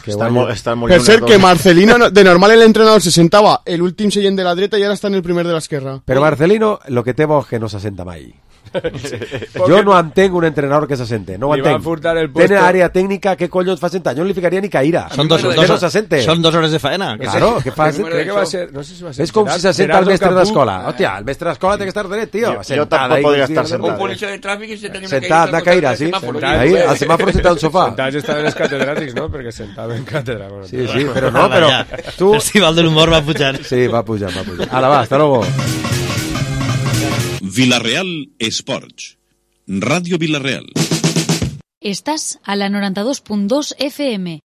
Speaker 6: Estan molt, estan molt
Speaker 4: Per cert,
Speaker 6: lluny
Speaker 4: que
Speaker 6: tots.
Speaker 4: Marcelino, de normal el entrenador se sentava el últim seient de la dreta i ara està en el primer de l'esquerra.
Speaker 3: Però Marcelino, lo que té bo és que no s'assenta mai. Jo no entenc un entrenador que s'assente, no ho
Speaker 1: Li van
Speaker 3: entenc.
Speaker 1: furtar el puesto.
Speaker 3: Tenen àrea tècnica, què collons fa sentar? Jo no li ficaria ni caïra.
Speaker 7: Són dos,
Speaker 3: Que
Speaker 7: dos,
Speaker 3: no s'assente.
Speaker 7: són dos hores de faena. Que
Speaker 3: Claro,
Speaker 7: sí.
Speaker 3: què fas?
Speaker 1: Crec que va ser, no sé si va ser
Speaker 3: És com si s'assenta el
Speaker 1: Gerardo
Speaker 3: mestre
Speaker 1: Capú.
Speaker 3: d'escola. Hòstia, el mestre d'escola té que estar dret, tio.
Speaker 6: Jo- jo
Speaker 3: Sentat
Speaker 6: tampoc
Speaker 3: ahí,
Speaker 6: podria
Speaker 3: sí,
Speaker 6: estar
Speaker 3: sí,
Speaker 6: sentat.
Speaker 5: Un policia de tràfic i se tenia una
Speaker 3: Sentat, una caïra, sí. Ahí, al semàfor sentat al sofà.
Speaker 1: Sentats estaven els catedràtics, no? Perquè sentaven en càtedra. Bueno,
Speaker 3: Sí, sí, però no, però tu...
Speaker 7: Festival de l'humor va pujar.
Speaker 3: Sí, va pujar, va pujar. Ara va, hasta luego.
Speaker 2: Villarreal Esports. Radio Villarreal.
Speaker 17: Estás a la noranta dos punt dos F M.